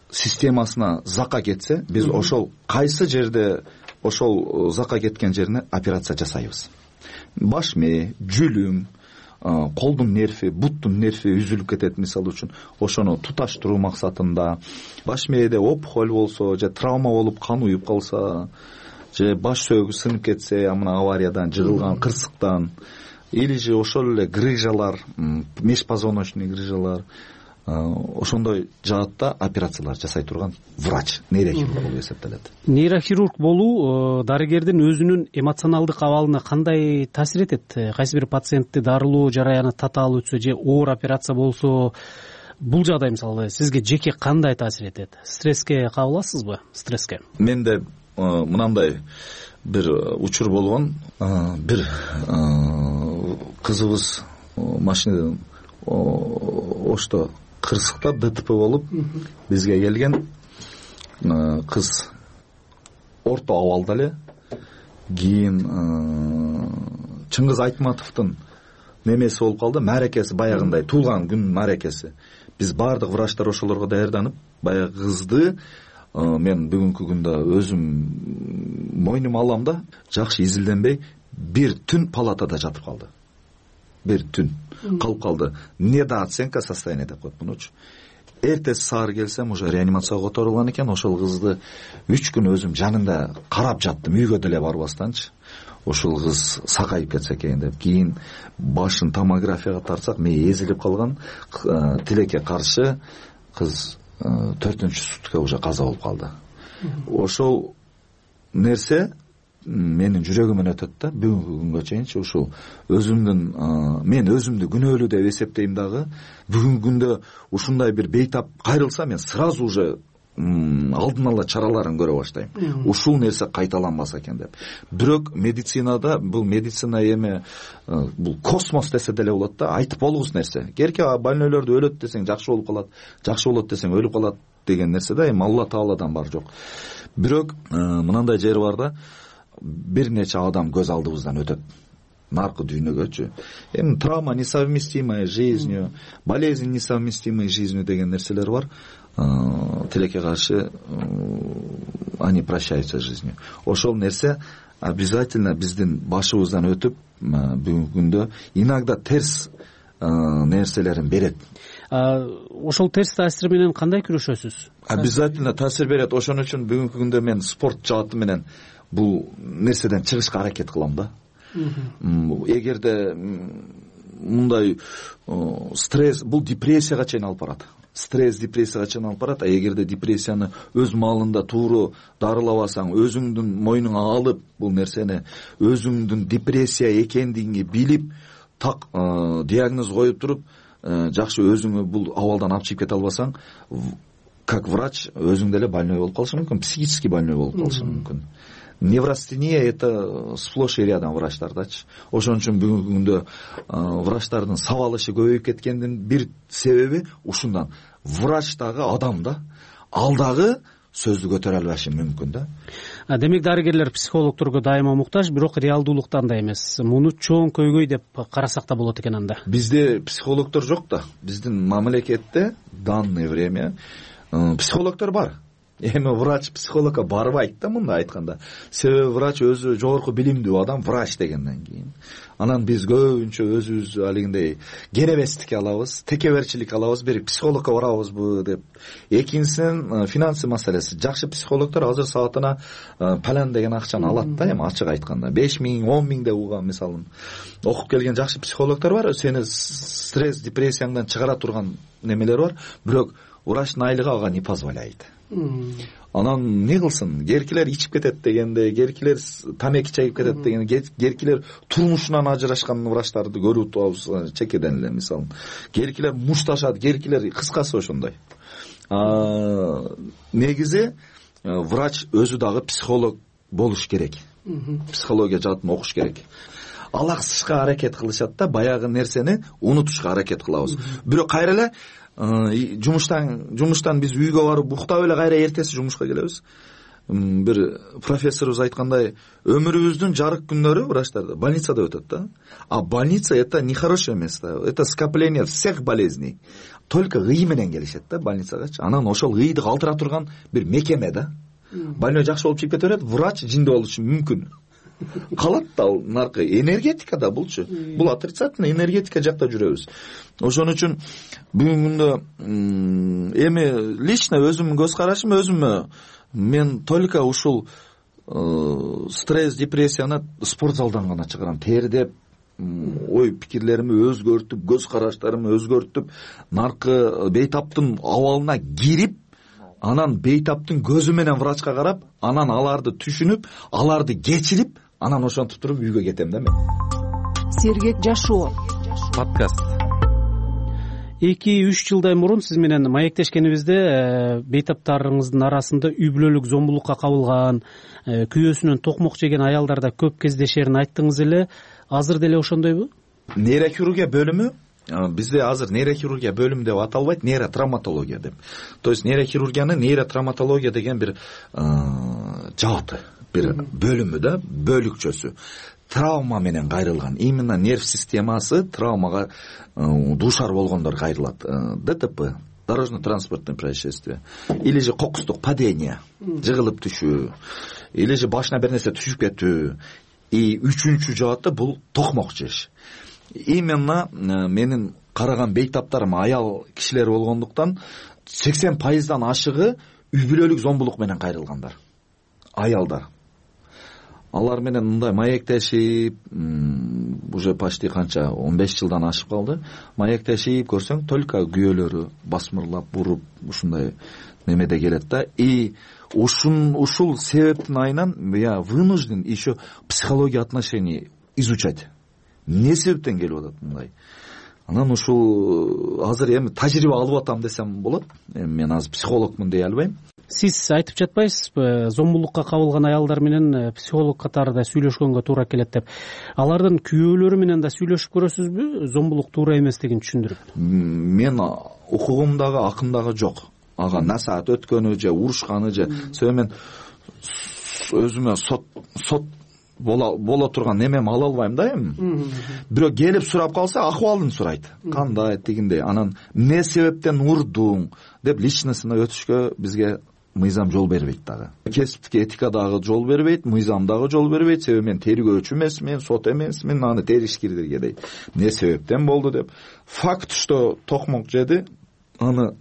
системасына зака кетсе, биз ошол кайсы жерде ошол зака кеткен жерине операция жасайбыз. Баш мээ, жүлүм, колдун нерви, буттун нерви үзүлүп кетет мисалы үчүн. Ошону туташтыруу максатында, баш мээде опухоль болсо, же травма болуп кан уюп калса, же баш сөөгү сынып кетсе, амына авариядан, жыгылган кырсыктан, или же ошол эле грыжалар, межпозвоночный грыжалар, ошондой жаатта операциялар жасай турган врач, нейрохирург болуп эсептелет. Нейрохирург болуу дарыгердин өзүнүн эмоционалдык абалына кандай таасир этет? Кайсы бир пациентти дарылоо жараяны татаал өтсө же оор операция болсо, бул жагдай мисалы сизге жеке кандай таасир этет? Стресске кабыласызбы? Стресске менде мынандай бир учур болгон. Бир кызыбыз машинадан ошто кырсыктап ДТП болуп бизге келген. Кыз орто абалда эле. Кийин Чыңгыз Айтматовдун немеси болуп калды, мааракеси, баягындай туулган күн мааракеси. Биз баардык врачтар ошолорго даярданып, баягы кызды мен бүгүнкү күндө өзүм мойнума алам да, жакшы изилденбей бир түн палатада жатып калды. Бир түн калып калды. Недооценка состояния деп коет мунучу. Эртеси саар келсем уже реанимацияга которулган экен. Ошол кызды үч күн өзүм жанында карап жаттым, үйгө деле барбастанчы. Ошол кыз сакайып кетсе экен деп. Кийин башын томографияга тартсак, мээ эзилип калган. Тилекке каршы кыз төртүнчү сутка уже каза болуп калды. Ошол нерсе менин жүрөгүмөн өтөт да, бүгүнкү күнгө чейинчи. Ушул өзүмдүн, мен өзүмдү күнөөлүү деп эсептейм дагы. Бүгүнкү күндө ушундай бир бейтап кайрылса, мен сразу уже алдын ала чараларын көрө баштайм. Ушул нерсе кайталанбаса экен деп. Бирок медицинада, бул медицина эми бул космос десе деле болот да, айтып болгус нерсе. Керке больнойлорду өлөт десең жакшы болуп калат, жакшы болот десең өлүп калат деген нерсе да, эми Алла Тааладан бар жок. Бирок мынандай жери бар да, бир нече адам көз алдыбыздан өтөт. Наркы дүйнөгөчү. Эми травма несовместимая с жизнью, болезнь несовместимая с жизнью деген нерселер бар. Тилекке каршы они прощаются с жизнью. Ошол нерсе обязательно биздин башыбыздан өтүп, бүгүнкү күндө иногда терс нерселерин берет. Ошол терс таасир менен кандай күрөшөсүз? Обязательно таасир берет. Ошон үчүн бүгүнкү күндө мен спорт жааты менен бул нерседен чыгышка аракет кылам да. Эгерде мындай стресс, бул депрессияга чейин алып барат. Стресс депрессияга чейин алып барат. А эгерде депрессияны өз маалында тууру дарылабасаң, өзүңдүн мойнуңа алып, бул нерсени өзүңдүн депрессия экендигиңи билип, так диагноз коюп туруп, жакшы өзүңө бул абалдан алып чыгып кете албасаң, как врач өзүң деле больной болуп калышың мүмкүн, психически больной болуп калышың мүмкүн. Неврастения это сплошь и рядом врачтардачы. Ошон үчүн бүгүнкү күндө врачтардын сабалышы көбөйүп кеткендин бир себеби ушундан. Врач дагы адам да, ал дагы сөздү көтөрө албашы мүмкүн да. Демек дарыгерлер психологдорго дайыма муктаж, бирок реалдуулуктан да эмес. Муну чоң көйгөй деп карасак да болот экен анда. Бизде психологдор жок да. Биздин мамлекетте данное время психологдор бар. Эми врач психологко барбайт да, мында айтканда. Себеби врач өзү жогорку билимдүү адам, врач дегенден кийин. Анан биз көбүнчө өзүбүз алигиндей керебестик алабыз, текеберчилик алабыз, бир психологко барабызбы деп. Экинчисинен финансы маселеси. Жакшы психологдор азыр саатына палан деген акчаны алат да, эми ачык айтканда. беш миң, он миң деп угам мисалын. Окуп келген жакшы психологдор бар, сени стресс, депрессияңдан чыгара турган немелер бар, бирок врачтын айлыгы ага не позволяет. Анан не кылсын, керкилер ичип кетет дегенде, керкилер тамеки чайып кетет дегенде, керкилер турмушунан ажырашкан врачтарды көрүп турабыз чекеден эле мисалы. Керкилер мушташат, керкилер кыскасы ошондой. Негизи врач өзү дагы психолог болуш керек. Психология жаатын окуш керек. Алаксышка аракет кылышат да, баягы нерсени унутушка аракет кылабыз. Бирок кайра эле жумуштан жумуштан биз үйгө барып уктап эле кайра эртеси жумушка келебиз. Бир профессорубуз айткандай, өмүрүбүздүн жарык күндөрү врачтарда больницада өтөт да. А больница это нехорошее место, это скопление всех болезней. Только ый менен келишет да больницагачы. Анан ошол ыйды калтыра турган бир мекеме да. Больной жакшы болуп чыгып кете берет, врач жинде болушу мүмкүн. Калат да ал наркы энергетика да булчу. Бул отрицательный энергетика жакта жүрөбүз. Ошон үчүн бүгүнгүндө эми лично өзүмдүн көз карашым, өзүмө мен только ушул стресс, депрессияны спорт залдан гана чыгарам. Тердеп, ой пикирлерими өзгөртүп, көз караштарымды өзгөртүп, наркы бейтаптын абалына кирип, анан бейтаптын көзү менен врачка карап, анан аларды түшүнүп, аларды кечирип, анан ошентип туруп үйгө кетем да мен. Сергек жашоо подкаст. эки үч жылдай мурун сиз менен маектешкенибизде бейтаптарыңыздын арасында үй бүлөлүк зомбулукка кабылган, күйөөсүнөн токмок жеген аялдарда көп кездешерин айттыңыз эле. Азыр деле ошондойбу? Нейрохирургия бөлүмү бизде азыр нейрохирургия бөлүмү деп аталбайт, нейротравматология деп. То есть нейрохирургиянын нейротравматология деген бир жааты, бир бөлүмү да, бөлүкчөсү. Травма менен кайрылган, именно нерв системасы травмага дуушар болгондор кайрылат. ДТП, дорожно-транспортное происшествие, или же кокустук падение, жыгылып түшүү, или же башына бир нерсе түшүп кетүү. И үчүнчү жааты бул токмок жеш. Именно менин караган бейтаптарым аял кишилер болгондуктан сексен пайыздан ашыгы үй бүлөлүк зомбулук менен кайрылгандар. Аялдар. Алар менен мындай маектешип, уже почти канча он беш жылдан ашып калды. Маектешип көрсөң, только күйөөлөрү басмырлап, буруп, ушундай немеде келет да. И ушун ушул себептин айынан я вынужден еще психология отношений изучать. Эмне себептен келип атат мындай? Анан ушул азыр эми тажрыйба алып атам десем болот. Эми мен азыр психологмун дей албайм. Сиз айтып жатпайсызбы, зомбулукка кабылган аялдар менен психолог катарында сүйлөшкөнгө туура келет деп. Алардын күйөөлөрү менен да сүйлөшүп көрөсүзбү, зомбулук туура эместигин түшүндүрүп? Мен укугумдагы акындагы жок. Ага насаат өткөнү же урушканы же себеби мен өзүмө сот сот боло боло турган немем ала албайм да эми. Бирөө келип сурап калса, акыбалын сурайт. Кандай, тигиндей. Анан эмне себептен урдуң деп личностуна өтүшкө бизге мыйзам жол бербейт дагы. Кесиптик этика дагы жол бербейт, мыйзам дагы жол бербейт. Себеби мен тергөөчү эмесмин, сот эмесмин, аны теришкирдерге дейт. Эмне себептен болду деп. Факт, что токмок жеди, аны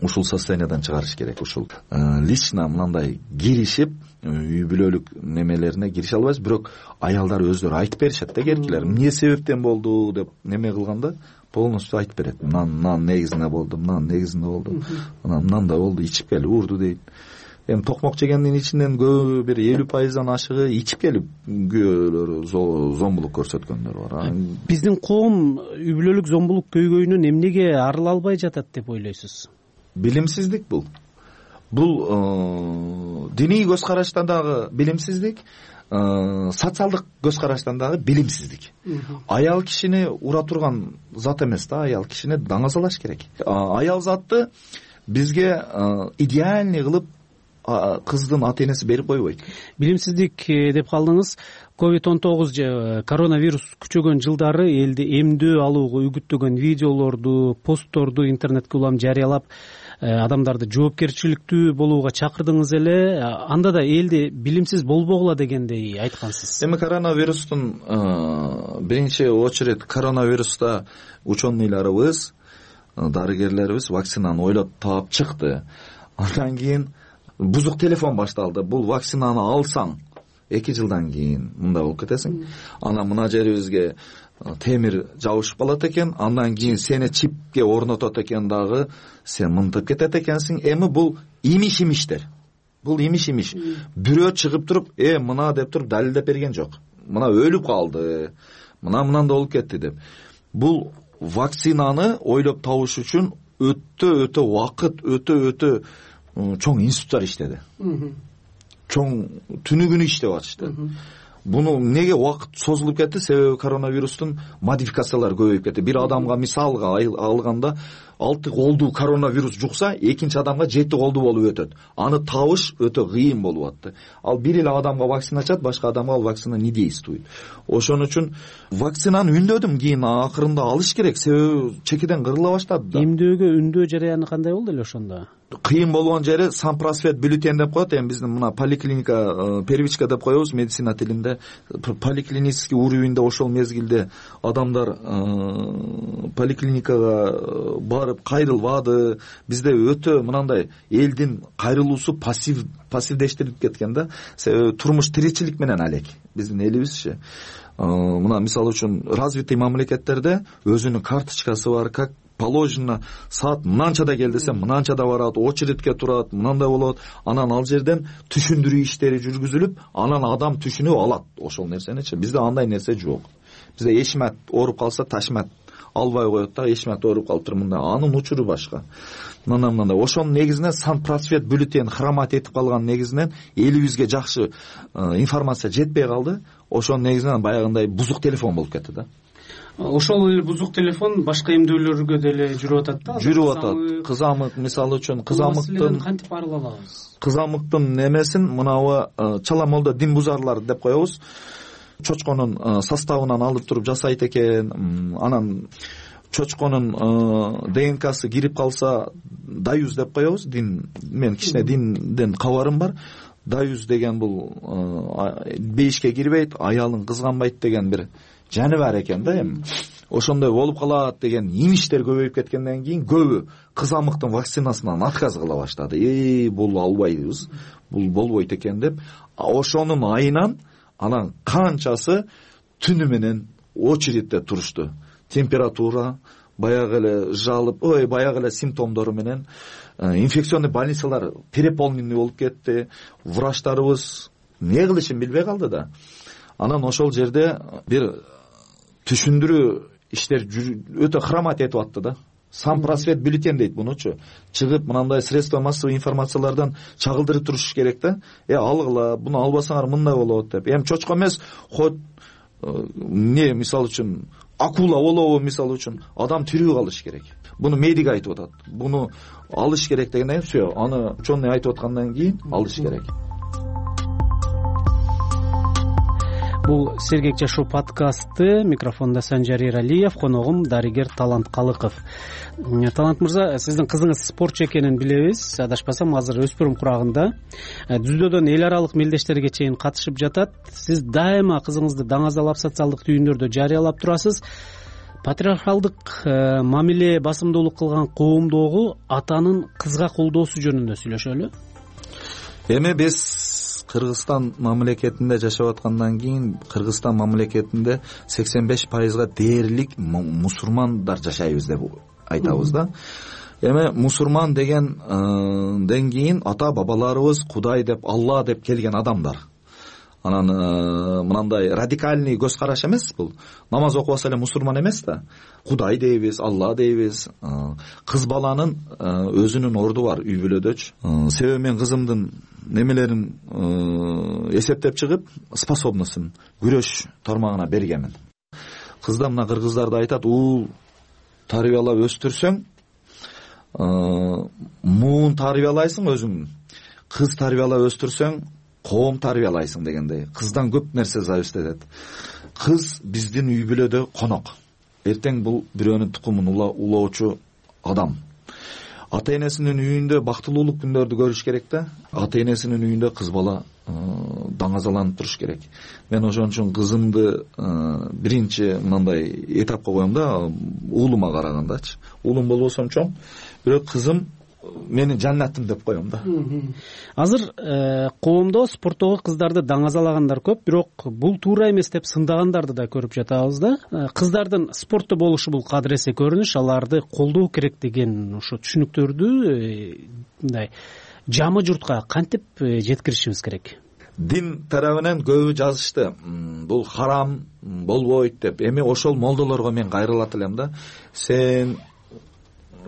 ушул состояниядан чыгарыш керек. Ушул лично мындай киришип, үй бүлөлүк немелерине кирише албайбыз, бирок аялдар өздөрү айтып беришет да, керкилер. Эмне себептен болду деп неме кылганда полностью айтып берет. Мынан мынан негизинде болду, мынан негизинде болду. Анан мынандай болду, ичип келип урду дейт. Эми токмок жегендин ичинен көбү бир элүү пайыздан ашыгы ичип келип күйөөлөрү зомбулук көрсөткөндөр бар. Биздин коом үй бүлөлүк зомбулук көйгөйүнөн эмнеге арыла албай жатат деп ойлойсуз? Билимсиздик бул. Бул диний көз караштан дагы билимсиздик, социалдык көз караштан дагы билимсиздик. Аял кишини ура турган зат эмес да, аял кишини даңазалаш керек. Аял затты бизге идеальный кылып кыздын ата энеси берип койбойт. Билимсиздик деп калдыңыз. ковид он тогуз же коронавирус күчөгөн жылдары элди эмдөө алууга үгүттөгөн видеолорду, постторду интернетке улам жарыялап, адамдарды жоопкерчиликтүү болууга чакырдыңыз эле. Анда да элди билимсиз болбогула дегендей айткансыз. Эми коронавирустун биринчи очередь коронавируста ученыйларыбыз, дарыгерлерибиз вакцинаны ойлоп таап чыкты. Андан кийин бузук телефон башталды. Бул вакцинаны алсаң эки жылдан кийин мындай болуп кетесиң. Анан мына жерибизге темир жабышып калат экен, андан кийин сени чипке орнотот экен дагы, сен мынтып кетет экенсиң. Эми бул имиш-имиштер. Бул имиш-имиш. Бирөө чыгып туруп, э мына деп туруп далилдеп берген жок. Мына өлүп калды, мына мынандай болуп кетти деп. Бул вакцинаны ойлоп табыш үчүн өтө өтө убакыт, өтө өтө чоң институттар иштеди. Чоң түнү күнү иштеп атышты. Буну неге убакыт созулуп кетти? Себеби коронавирустун модификациялары көбөйүп кетти. Бир адамга мисалга алганда алты колду коронавирус жукса, экинчи адамга жети колду болуп өтөт. Аны табыш өтө кыйын болуп атты. Ал бир эле адамга вакцина чат, башка адамга ал вакцина не действует. Ошон үчүн вакцинаны үндөдүм, кийин акырында алыш керек, себеби чекеден кырыла баштады да. Эмдөөгө үндөө жараяны кандай болду эле ошондо? Кыйын болгон жери санпросвет бюллетень деп коет. Эми биздин мына поликлиника, первичка деп коебуз медицина тилинде. Поликлинический уровеньде ошол мезгилде адамдар поликлиникага барып кайрылбады. Бизде өтө мынандай элдин кайрылуусу пассив пассивдештирип кеткен да. Себеби турмуш тиричилик менен алек. Биздин элибизчи мына мисалы үчүн развитый мамлекеттерде өзүнүн карточкасы бар, как положено, саат мынанчада кел десем мынанчада барат, очередке турат, мынандай болот. Анан ал жерден түшүндүрүү иштери жүргүзүлүп, анан адам түшүнүп алат ошол нерсеничи. Бизде андай нерсе жок. Бизде эшмат ооруп калса ташмат албай коет да, эшмат ооруп калыптыр мындай, анын учуру башка. Мындай мындай. Ошонун негизинен сан просвет бюллетень хромат этип калган негизинен элибизге жакшы информация жетпей калды. Ошонун негизинен баягындай бузук телефон болуп кетти да. Ошол эле бузук телефон башка эмдүүлөргө деле жүрүп атат да. Жүрүп атат. Кызамык мисалы үчүн кызамыктын кантип арыла алабыз? Кызамыктын немесин мынабы чала молдо дин бузарлар деп коебуз. Чочконун составынан алып туруп жасайт экен. Анан чочконун ДНКсы кирип калса даюз деп коебуз. Дин, мен кичине динден кабарым бар. Даюз деген бул бейишке кирбейт, аялын кызганбайт деген бир жаны бар экен да эми. Ошондой болуп калат деген имиштер көбөйүп кеткенден кийин көбү кызамыктын вакцинасынан отказ кыла баштады. Эй, бул албайбыз, бул болбойт экен деп. Ошонун айынан анан канчасы түнү менен очередте турушту. Температура, баягы эле жалып, ой, баягы эле симптомдору менен инфекционный больницалар переполненный болуп кетти. Врачтарыбыз эмне кылышын билбей калды да. Анан ошол жерде бир түшүндүрүү иштер өтө хромат этип атты да. Сан просвет бюллетень дейт мунучу. Чыгып мынандай средства массовой информациялардан чагылдырып туруш керек да. Э, алгыла, буну албасаңар мындай болот деп. Эми чочко эмес, хот эмне мисалы үчүн акула болобу мисалы үчүн, адам тирүү калыш керек. Буну медик айтып атат. Буну алыш керек дегенден кийин всё, аны ученый айтып аткандан кийин алыш керек. Бул Сергек жашоо подкасты. Микрофондо Санжар Эралиев, коногум дарыгер Талант Калыков. Талант мырза, сиздин кызыңыз спортчу экенин билебиз. Адашпасам азыр өспүрүм курагында. Дүздөөдөн эл аралык мелдештерге чейин катышып жатат. Сиз дайыма кызыңызды даңазалап социалдык түйүндөрдө жарыялап турасыз. Патриархалдык мамиле басымдуулук кылган коомдогу атанын кызга колдоосу жөнүндө сүйлөшөлү. Эми биз Кыргызстан мамлекетинде жашап аткандан кийин Кыргызстан мамлекетинде сексен беш пайызга дээрлик мусулмандар жашайбыз деп айтабыз да. Эми мусулман дегенден кийин ата бабаларыбыз Кудай деп, Алла деп келген адамдар. Анан мынандай радикальный көз караш эмес бул. Намаз окубаса эле мусулман эмес да. Кудай дейбиз, Алла дейбиз. Кыз баланын өзүнүн орду бар үй бүлөдөчү. Себеби мен кызымдын немелерин эсептеп чыгып, способностун күрөш тармагына бергенмин. Кызда мына кыргыздарды айтат, уул тарбиялап өстүрсөң, муун тарбиялайсың өзүң. Кыз тарбиялап өстүрсөң, коом тарбиялайсың дегендей. Кыздан көп нерсе зависит этет. Кыз биздин үй бүлөдө конок. Эртең бул бирөөнүн тукумун улоочу адам. Ата энесинин үйүндө бактылуулук күндөрдү көрүш керек да. Ата энесинин үйүндө кыз бала даңазаланып туруш керек. Мен ошон үчүн кызымды биринчи мындай этапка коем да, уулума карагандачы. Уулум болбосом чоң, бирок кызым менин жаннатым деп коем да. Азыр коомдо спорттогу кыздарды даңазалагандар көп, бирок бул туура эмес деп сындагандарды да көрүп жатабыз да. Кыздардын спортто болушу бул кадыресе көрүнүш, аларды колдоо керек деген ошо түшүнүктөрдү мындай жамы журтка кантип жеткиришибиз керек? Дин тарабынан көбү жазышты. Бул харам, болбойт деп. Эми ошол молдолорго мен кайрылат элем да. Сен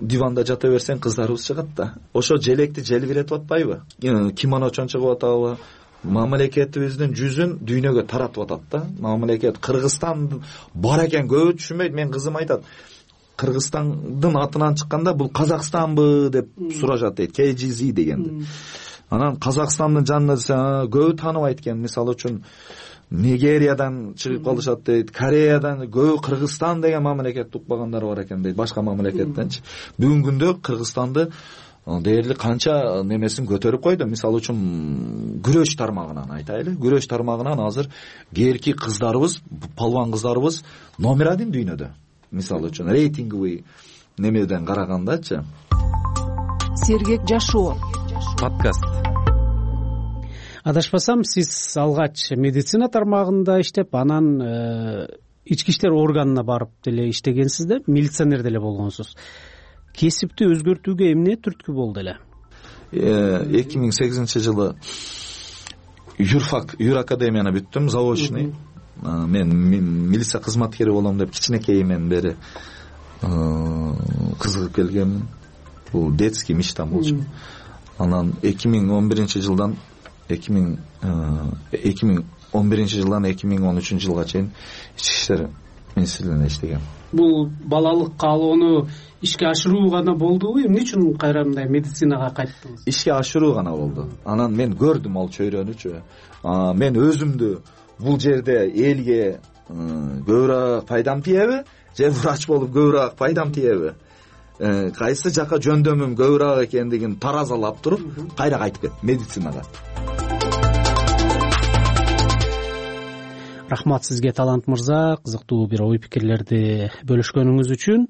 диванда жата берсең кыздарыбыз чыгат да. Ошо желекти желбиретип атпайбы? Кимоночон чыгып атабы? Мамлекетибиздин жүзүн дүйнөгө таратып атат да. Мамлекет Кыргызстан бар экен көбү түшүнбөйт. Мен кызым айтат, Кыргызстандын атынан чыкканда бул Казакстанбы деп сурашат дейт. кей жи зет дегенди. Анан Казакстандын жанында десе, көбү тааныбайт экен. Мисалы үчүн Нигериядан чыгып калышат дейт, Кореядан, көбү Кыргызстан деген мамлекетти укпагандар бар экен дейт, башка мамлекеттенчи. Бүгүнкү күндө Кыргызстанды дээрлик канча немесин көтөрүп койду. Мисалы үчүн күрөш тармагынан айтайлы. Күрөш тармагынан азыр кээрки кыздарыбыз, палван кыздарыбыз номер один дүйнөдө. Мисалы үчүн рейтинговый немеден карагандачы. Сергек жашоо подкаст. Адашпасам, сиз алгач медицина тармагында иштеп, анан ички иштер органына барып деле иштегенсиз да, милиционер деле болгонсуз. Кесипти өзгөртүүгө эмне түрткү болду эле? эки миң сегизинчи жылы юрфак юр академияны бүттүм, заочный. Мен милиция кызматкери болом деп кичинекейимден бери кызыгып келгенмин. Бул детский мечтам болчу. Анан эки миң он биринчи жылдан эки миң он биринчи жылдан эки миң он үчүнчү жылга чейин ички иштер министрлигинде иштегем. Бул балалык каалоону ишке ашыруу гана болдубу? Эмне үчүн кайра мындай медицинага кайттыңыз? Ишке ашыруу гана болду. Анан мен көрдүм ал чөйрөнүчү. Мен өзүмдү бул жерде элге көбүрөөк пайдам тиеби, же врач болуп көбүрөөк пайдам тиеби? Кайсы жака жөндөмүм көбүрөөк экендигин таразалап туруп, кайра кайтып кеттим медицинага. Рахмат сизге, Талант мырза, кызыктуу бир ой пикирлерди бөлүшкөнүңүз үчүн.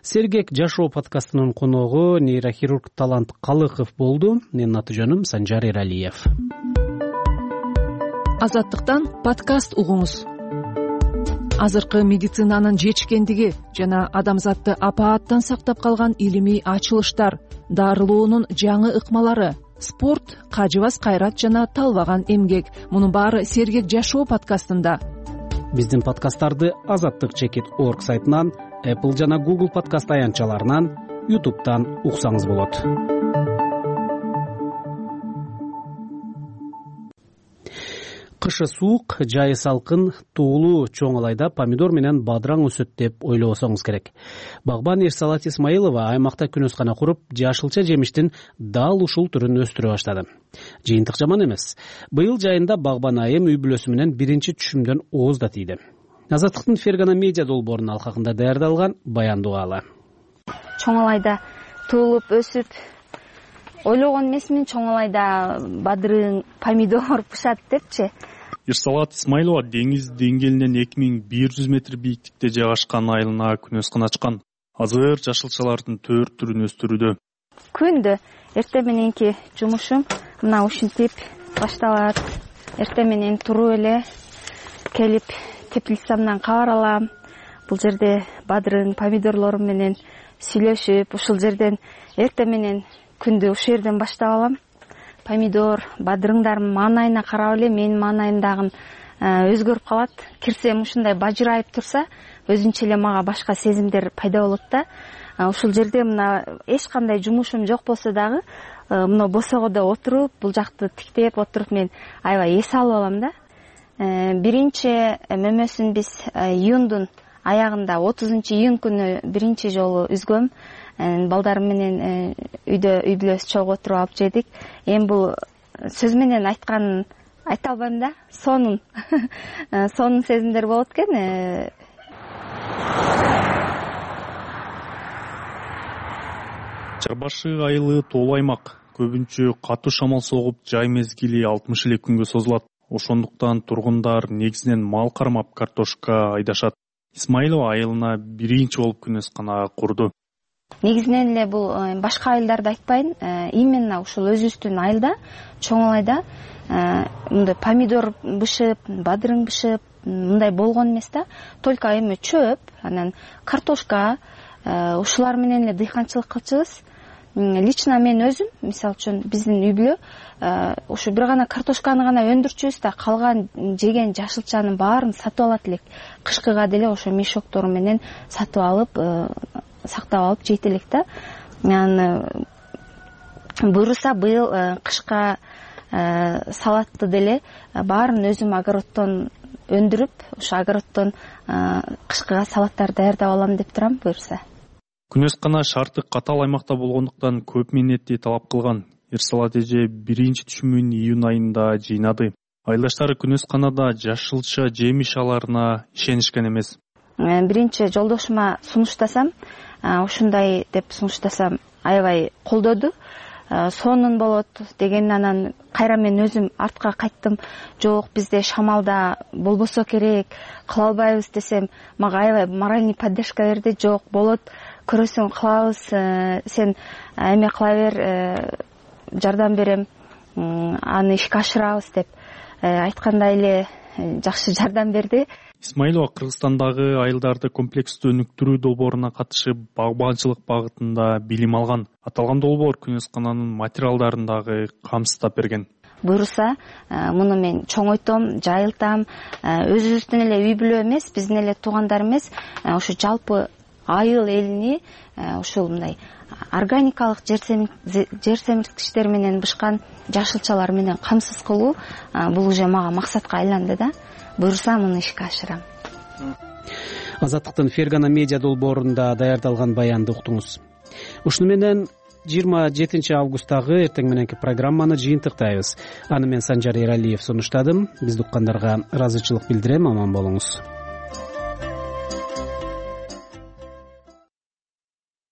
Сергек жашоо подкастынын коногу нейрохирург Талант Калыков болду. Менин аты жөнүм Санжар Эралиев. Азаттыктан подкаст угуңуз. Азыркы медицинанын жетишкендиги жана адамзатты апааттан сактап калган илимий ачылыштар, дарылоонун жаңы ыкмалары, спорт, кажыбас кайрат жана талбаган эмгек. Мунун баары Сергек жашоо подкастында. Биздин подкасттарды азаттык чекит орг сайтынан, Apple жана Google подкаст аянтчаларынан, YouTube'дан уксаңыз болот. Кышы суук, жайы салкын, туулуу чоң алайда помидор менен бадыраң өсөт деп ойлобосоңуз керек. Багбан Эрсалат Исмаилова аймакта күнөскана куруп, жашылча жемиштин дал ушул түрүн өстүрө баштады. Жыйынтык жаман эмес. Быйыл жайында багбан айым үй бүлөсү менен биринчи түшүмдөн ооз да тийди. Азаттыктын Фергана медиа долбоорунун алкагында даярдалган баяндуу ала. Чоң алайда туулуп өсүп, ойлогон эмесмин чоң алайда бадырың, помидор пышат депчи. Эрсалат Исмаилова деңиз деңгээлинен эки миң бир жүз метр бийиктикте жайгашкан айылына күнөскана ачкан. Азыр жашылчалардын төрт түрүн өстүрүүдө. Күндө эртең мененки жумушум мына ушинтип башталат. Эртең менен туруп эле келип теплицамдан кабар алам. Бул жерде бадырың, помидорлорум менен сүйлөшүп, ушул жерден эртең менен күндү ушул жерден баштап алам. Помидор, бадырыңдардын маанайына карап эле менин маанайым дагы өзгөрүп калат. Кирсем ушундай бажырайып турса, өзүнчө эле мага башка сезимдер пайда болот да. Ушул жерде мына эч кандай жумушум жок болсо дагы, мына босогодо отуруп, бул жакты тиктеп отуруп мен аябай эс алып алам да. Биринчи мөмөсүн биз июндун аягында отузунчу июнь күнү биринчи жолу үзгөм. Балдарым менен үйдө үй бүлөбүз чогуу отуруп алып жедик. Эми бул сөз менен айтканын айта албайм да. Сонун сонун сезимдер болот экен. Чарбашы айылы тоолуу аймак. Көбүнчө катуу шамал согуп, жай мезгили алтымыш эле күнгө созулат. Ошондуктан тургундар негизинен мал кармап картошка айдашат. Исмаилова айылына биринчи болуп күнөскана курду. Негизинен эле бул башка айылдарды айтпайын, именно ушул өзүбүздүн айылда, чоң алайда мындай помидор бышып, бадырың бышып, мындай болгон эмес да. Только эми чөп, анан картошка, ушулар менен эле дыйканчылык кылчубуз. Лично мен өзүм, мисалы үчүн биздин үй бүлө ушу бир гана картошканы гана өндүрчүбүз да, калган жеген жашылчанын баарын сатып алат элек. Кышкыга деле ошо мешоктору менен сатып алып, сактап алып жейт элек да. Анан буюрса быйыл кышка салатты деле баарын өзүм огороддон өндүрүп, ошо огороддон кышкыга салаттар даярдап алам деп турам буюрса. Күнөскана шарты катал аймакта болгондуктан көп мээнетти талап кылган. Эрсалат эже биринчи түшүмүн июнь айында жыйнады. Айылдаштары күнөсканада жашылча жемиш аларына ишенишкен эмес. Биринчи жолдошума сунуштасам, ушундай деп сунуштасам, аябай колдоду. Сонун болот деген, анан кайра мен өзүм артка кайттым. Жок, бизде шамалда болбосо керек, кыла албайбыз десем, мага аябай моральный поддержка берди. Жок, болот, көрөсүң кылабыз, сен эме кыла бер, жардам берем аны ишке ашырабыз деп айткандай эле жакшы жардам берди. Исмаилова Кыргызстандагы айылдарды комплекстүү өнүктүрүү долбооруна катышып багбанчылык багытында билим алган. Аталган долбоор күнөскананын материалдарын дагы камсыздап берген. Буюрса муну мен чоңойтом, жайылтам, өзүбүздүн эле үй бүлө эмес, биздин эле туугандар эмес, ошо жалпы айыл элини ушул мындай органикалык жер семирткичтер менен бышкан жашылчалар менен камсыз кылуу бул уже мага максатка айланды да. Буюрса муну ишке ашырам. Азаттыктын Фергана медиа долбоорунда даярдалган баянды уктуңуз. Ушуну менен жыйырма жетинчи августтагы эртең мененки программаны жыйынтыктайбыз. Аны мен Санжар Эралиев сунуштадым. Бизди уккандарга ыраазычылык билдирем. Аман болуңуз.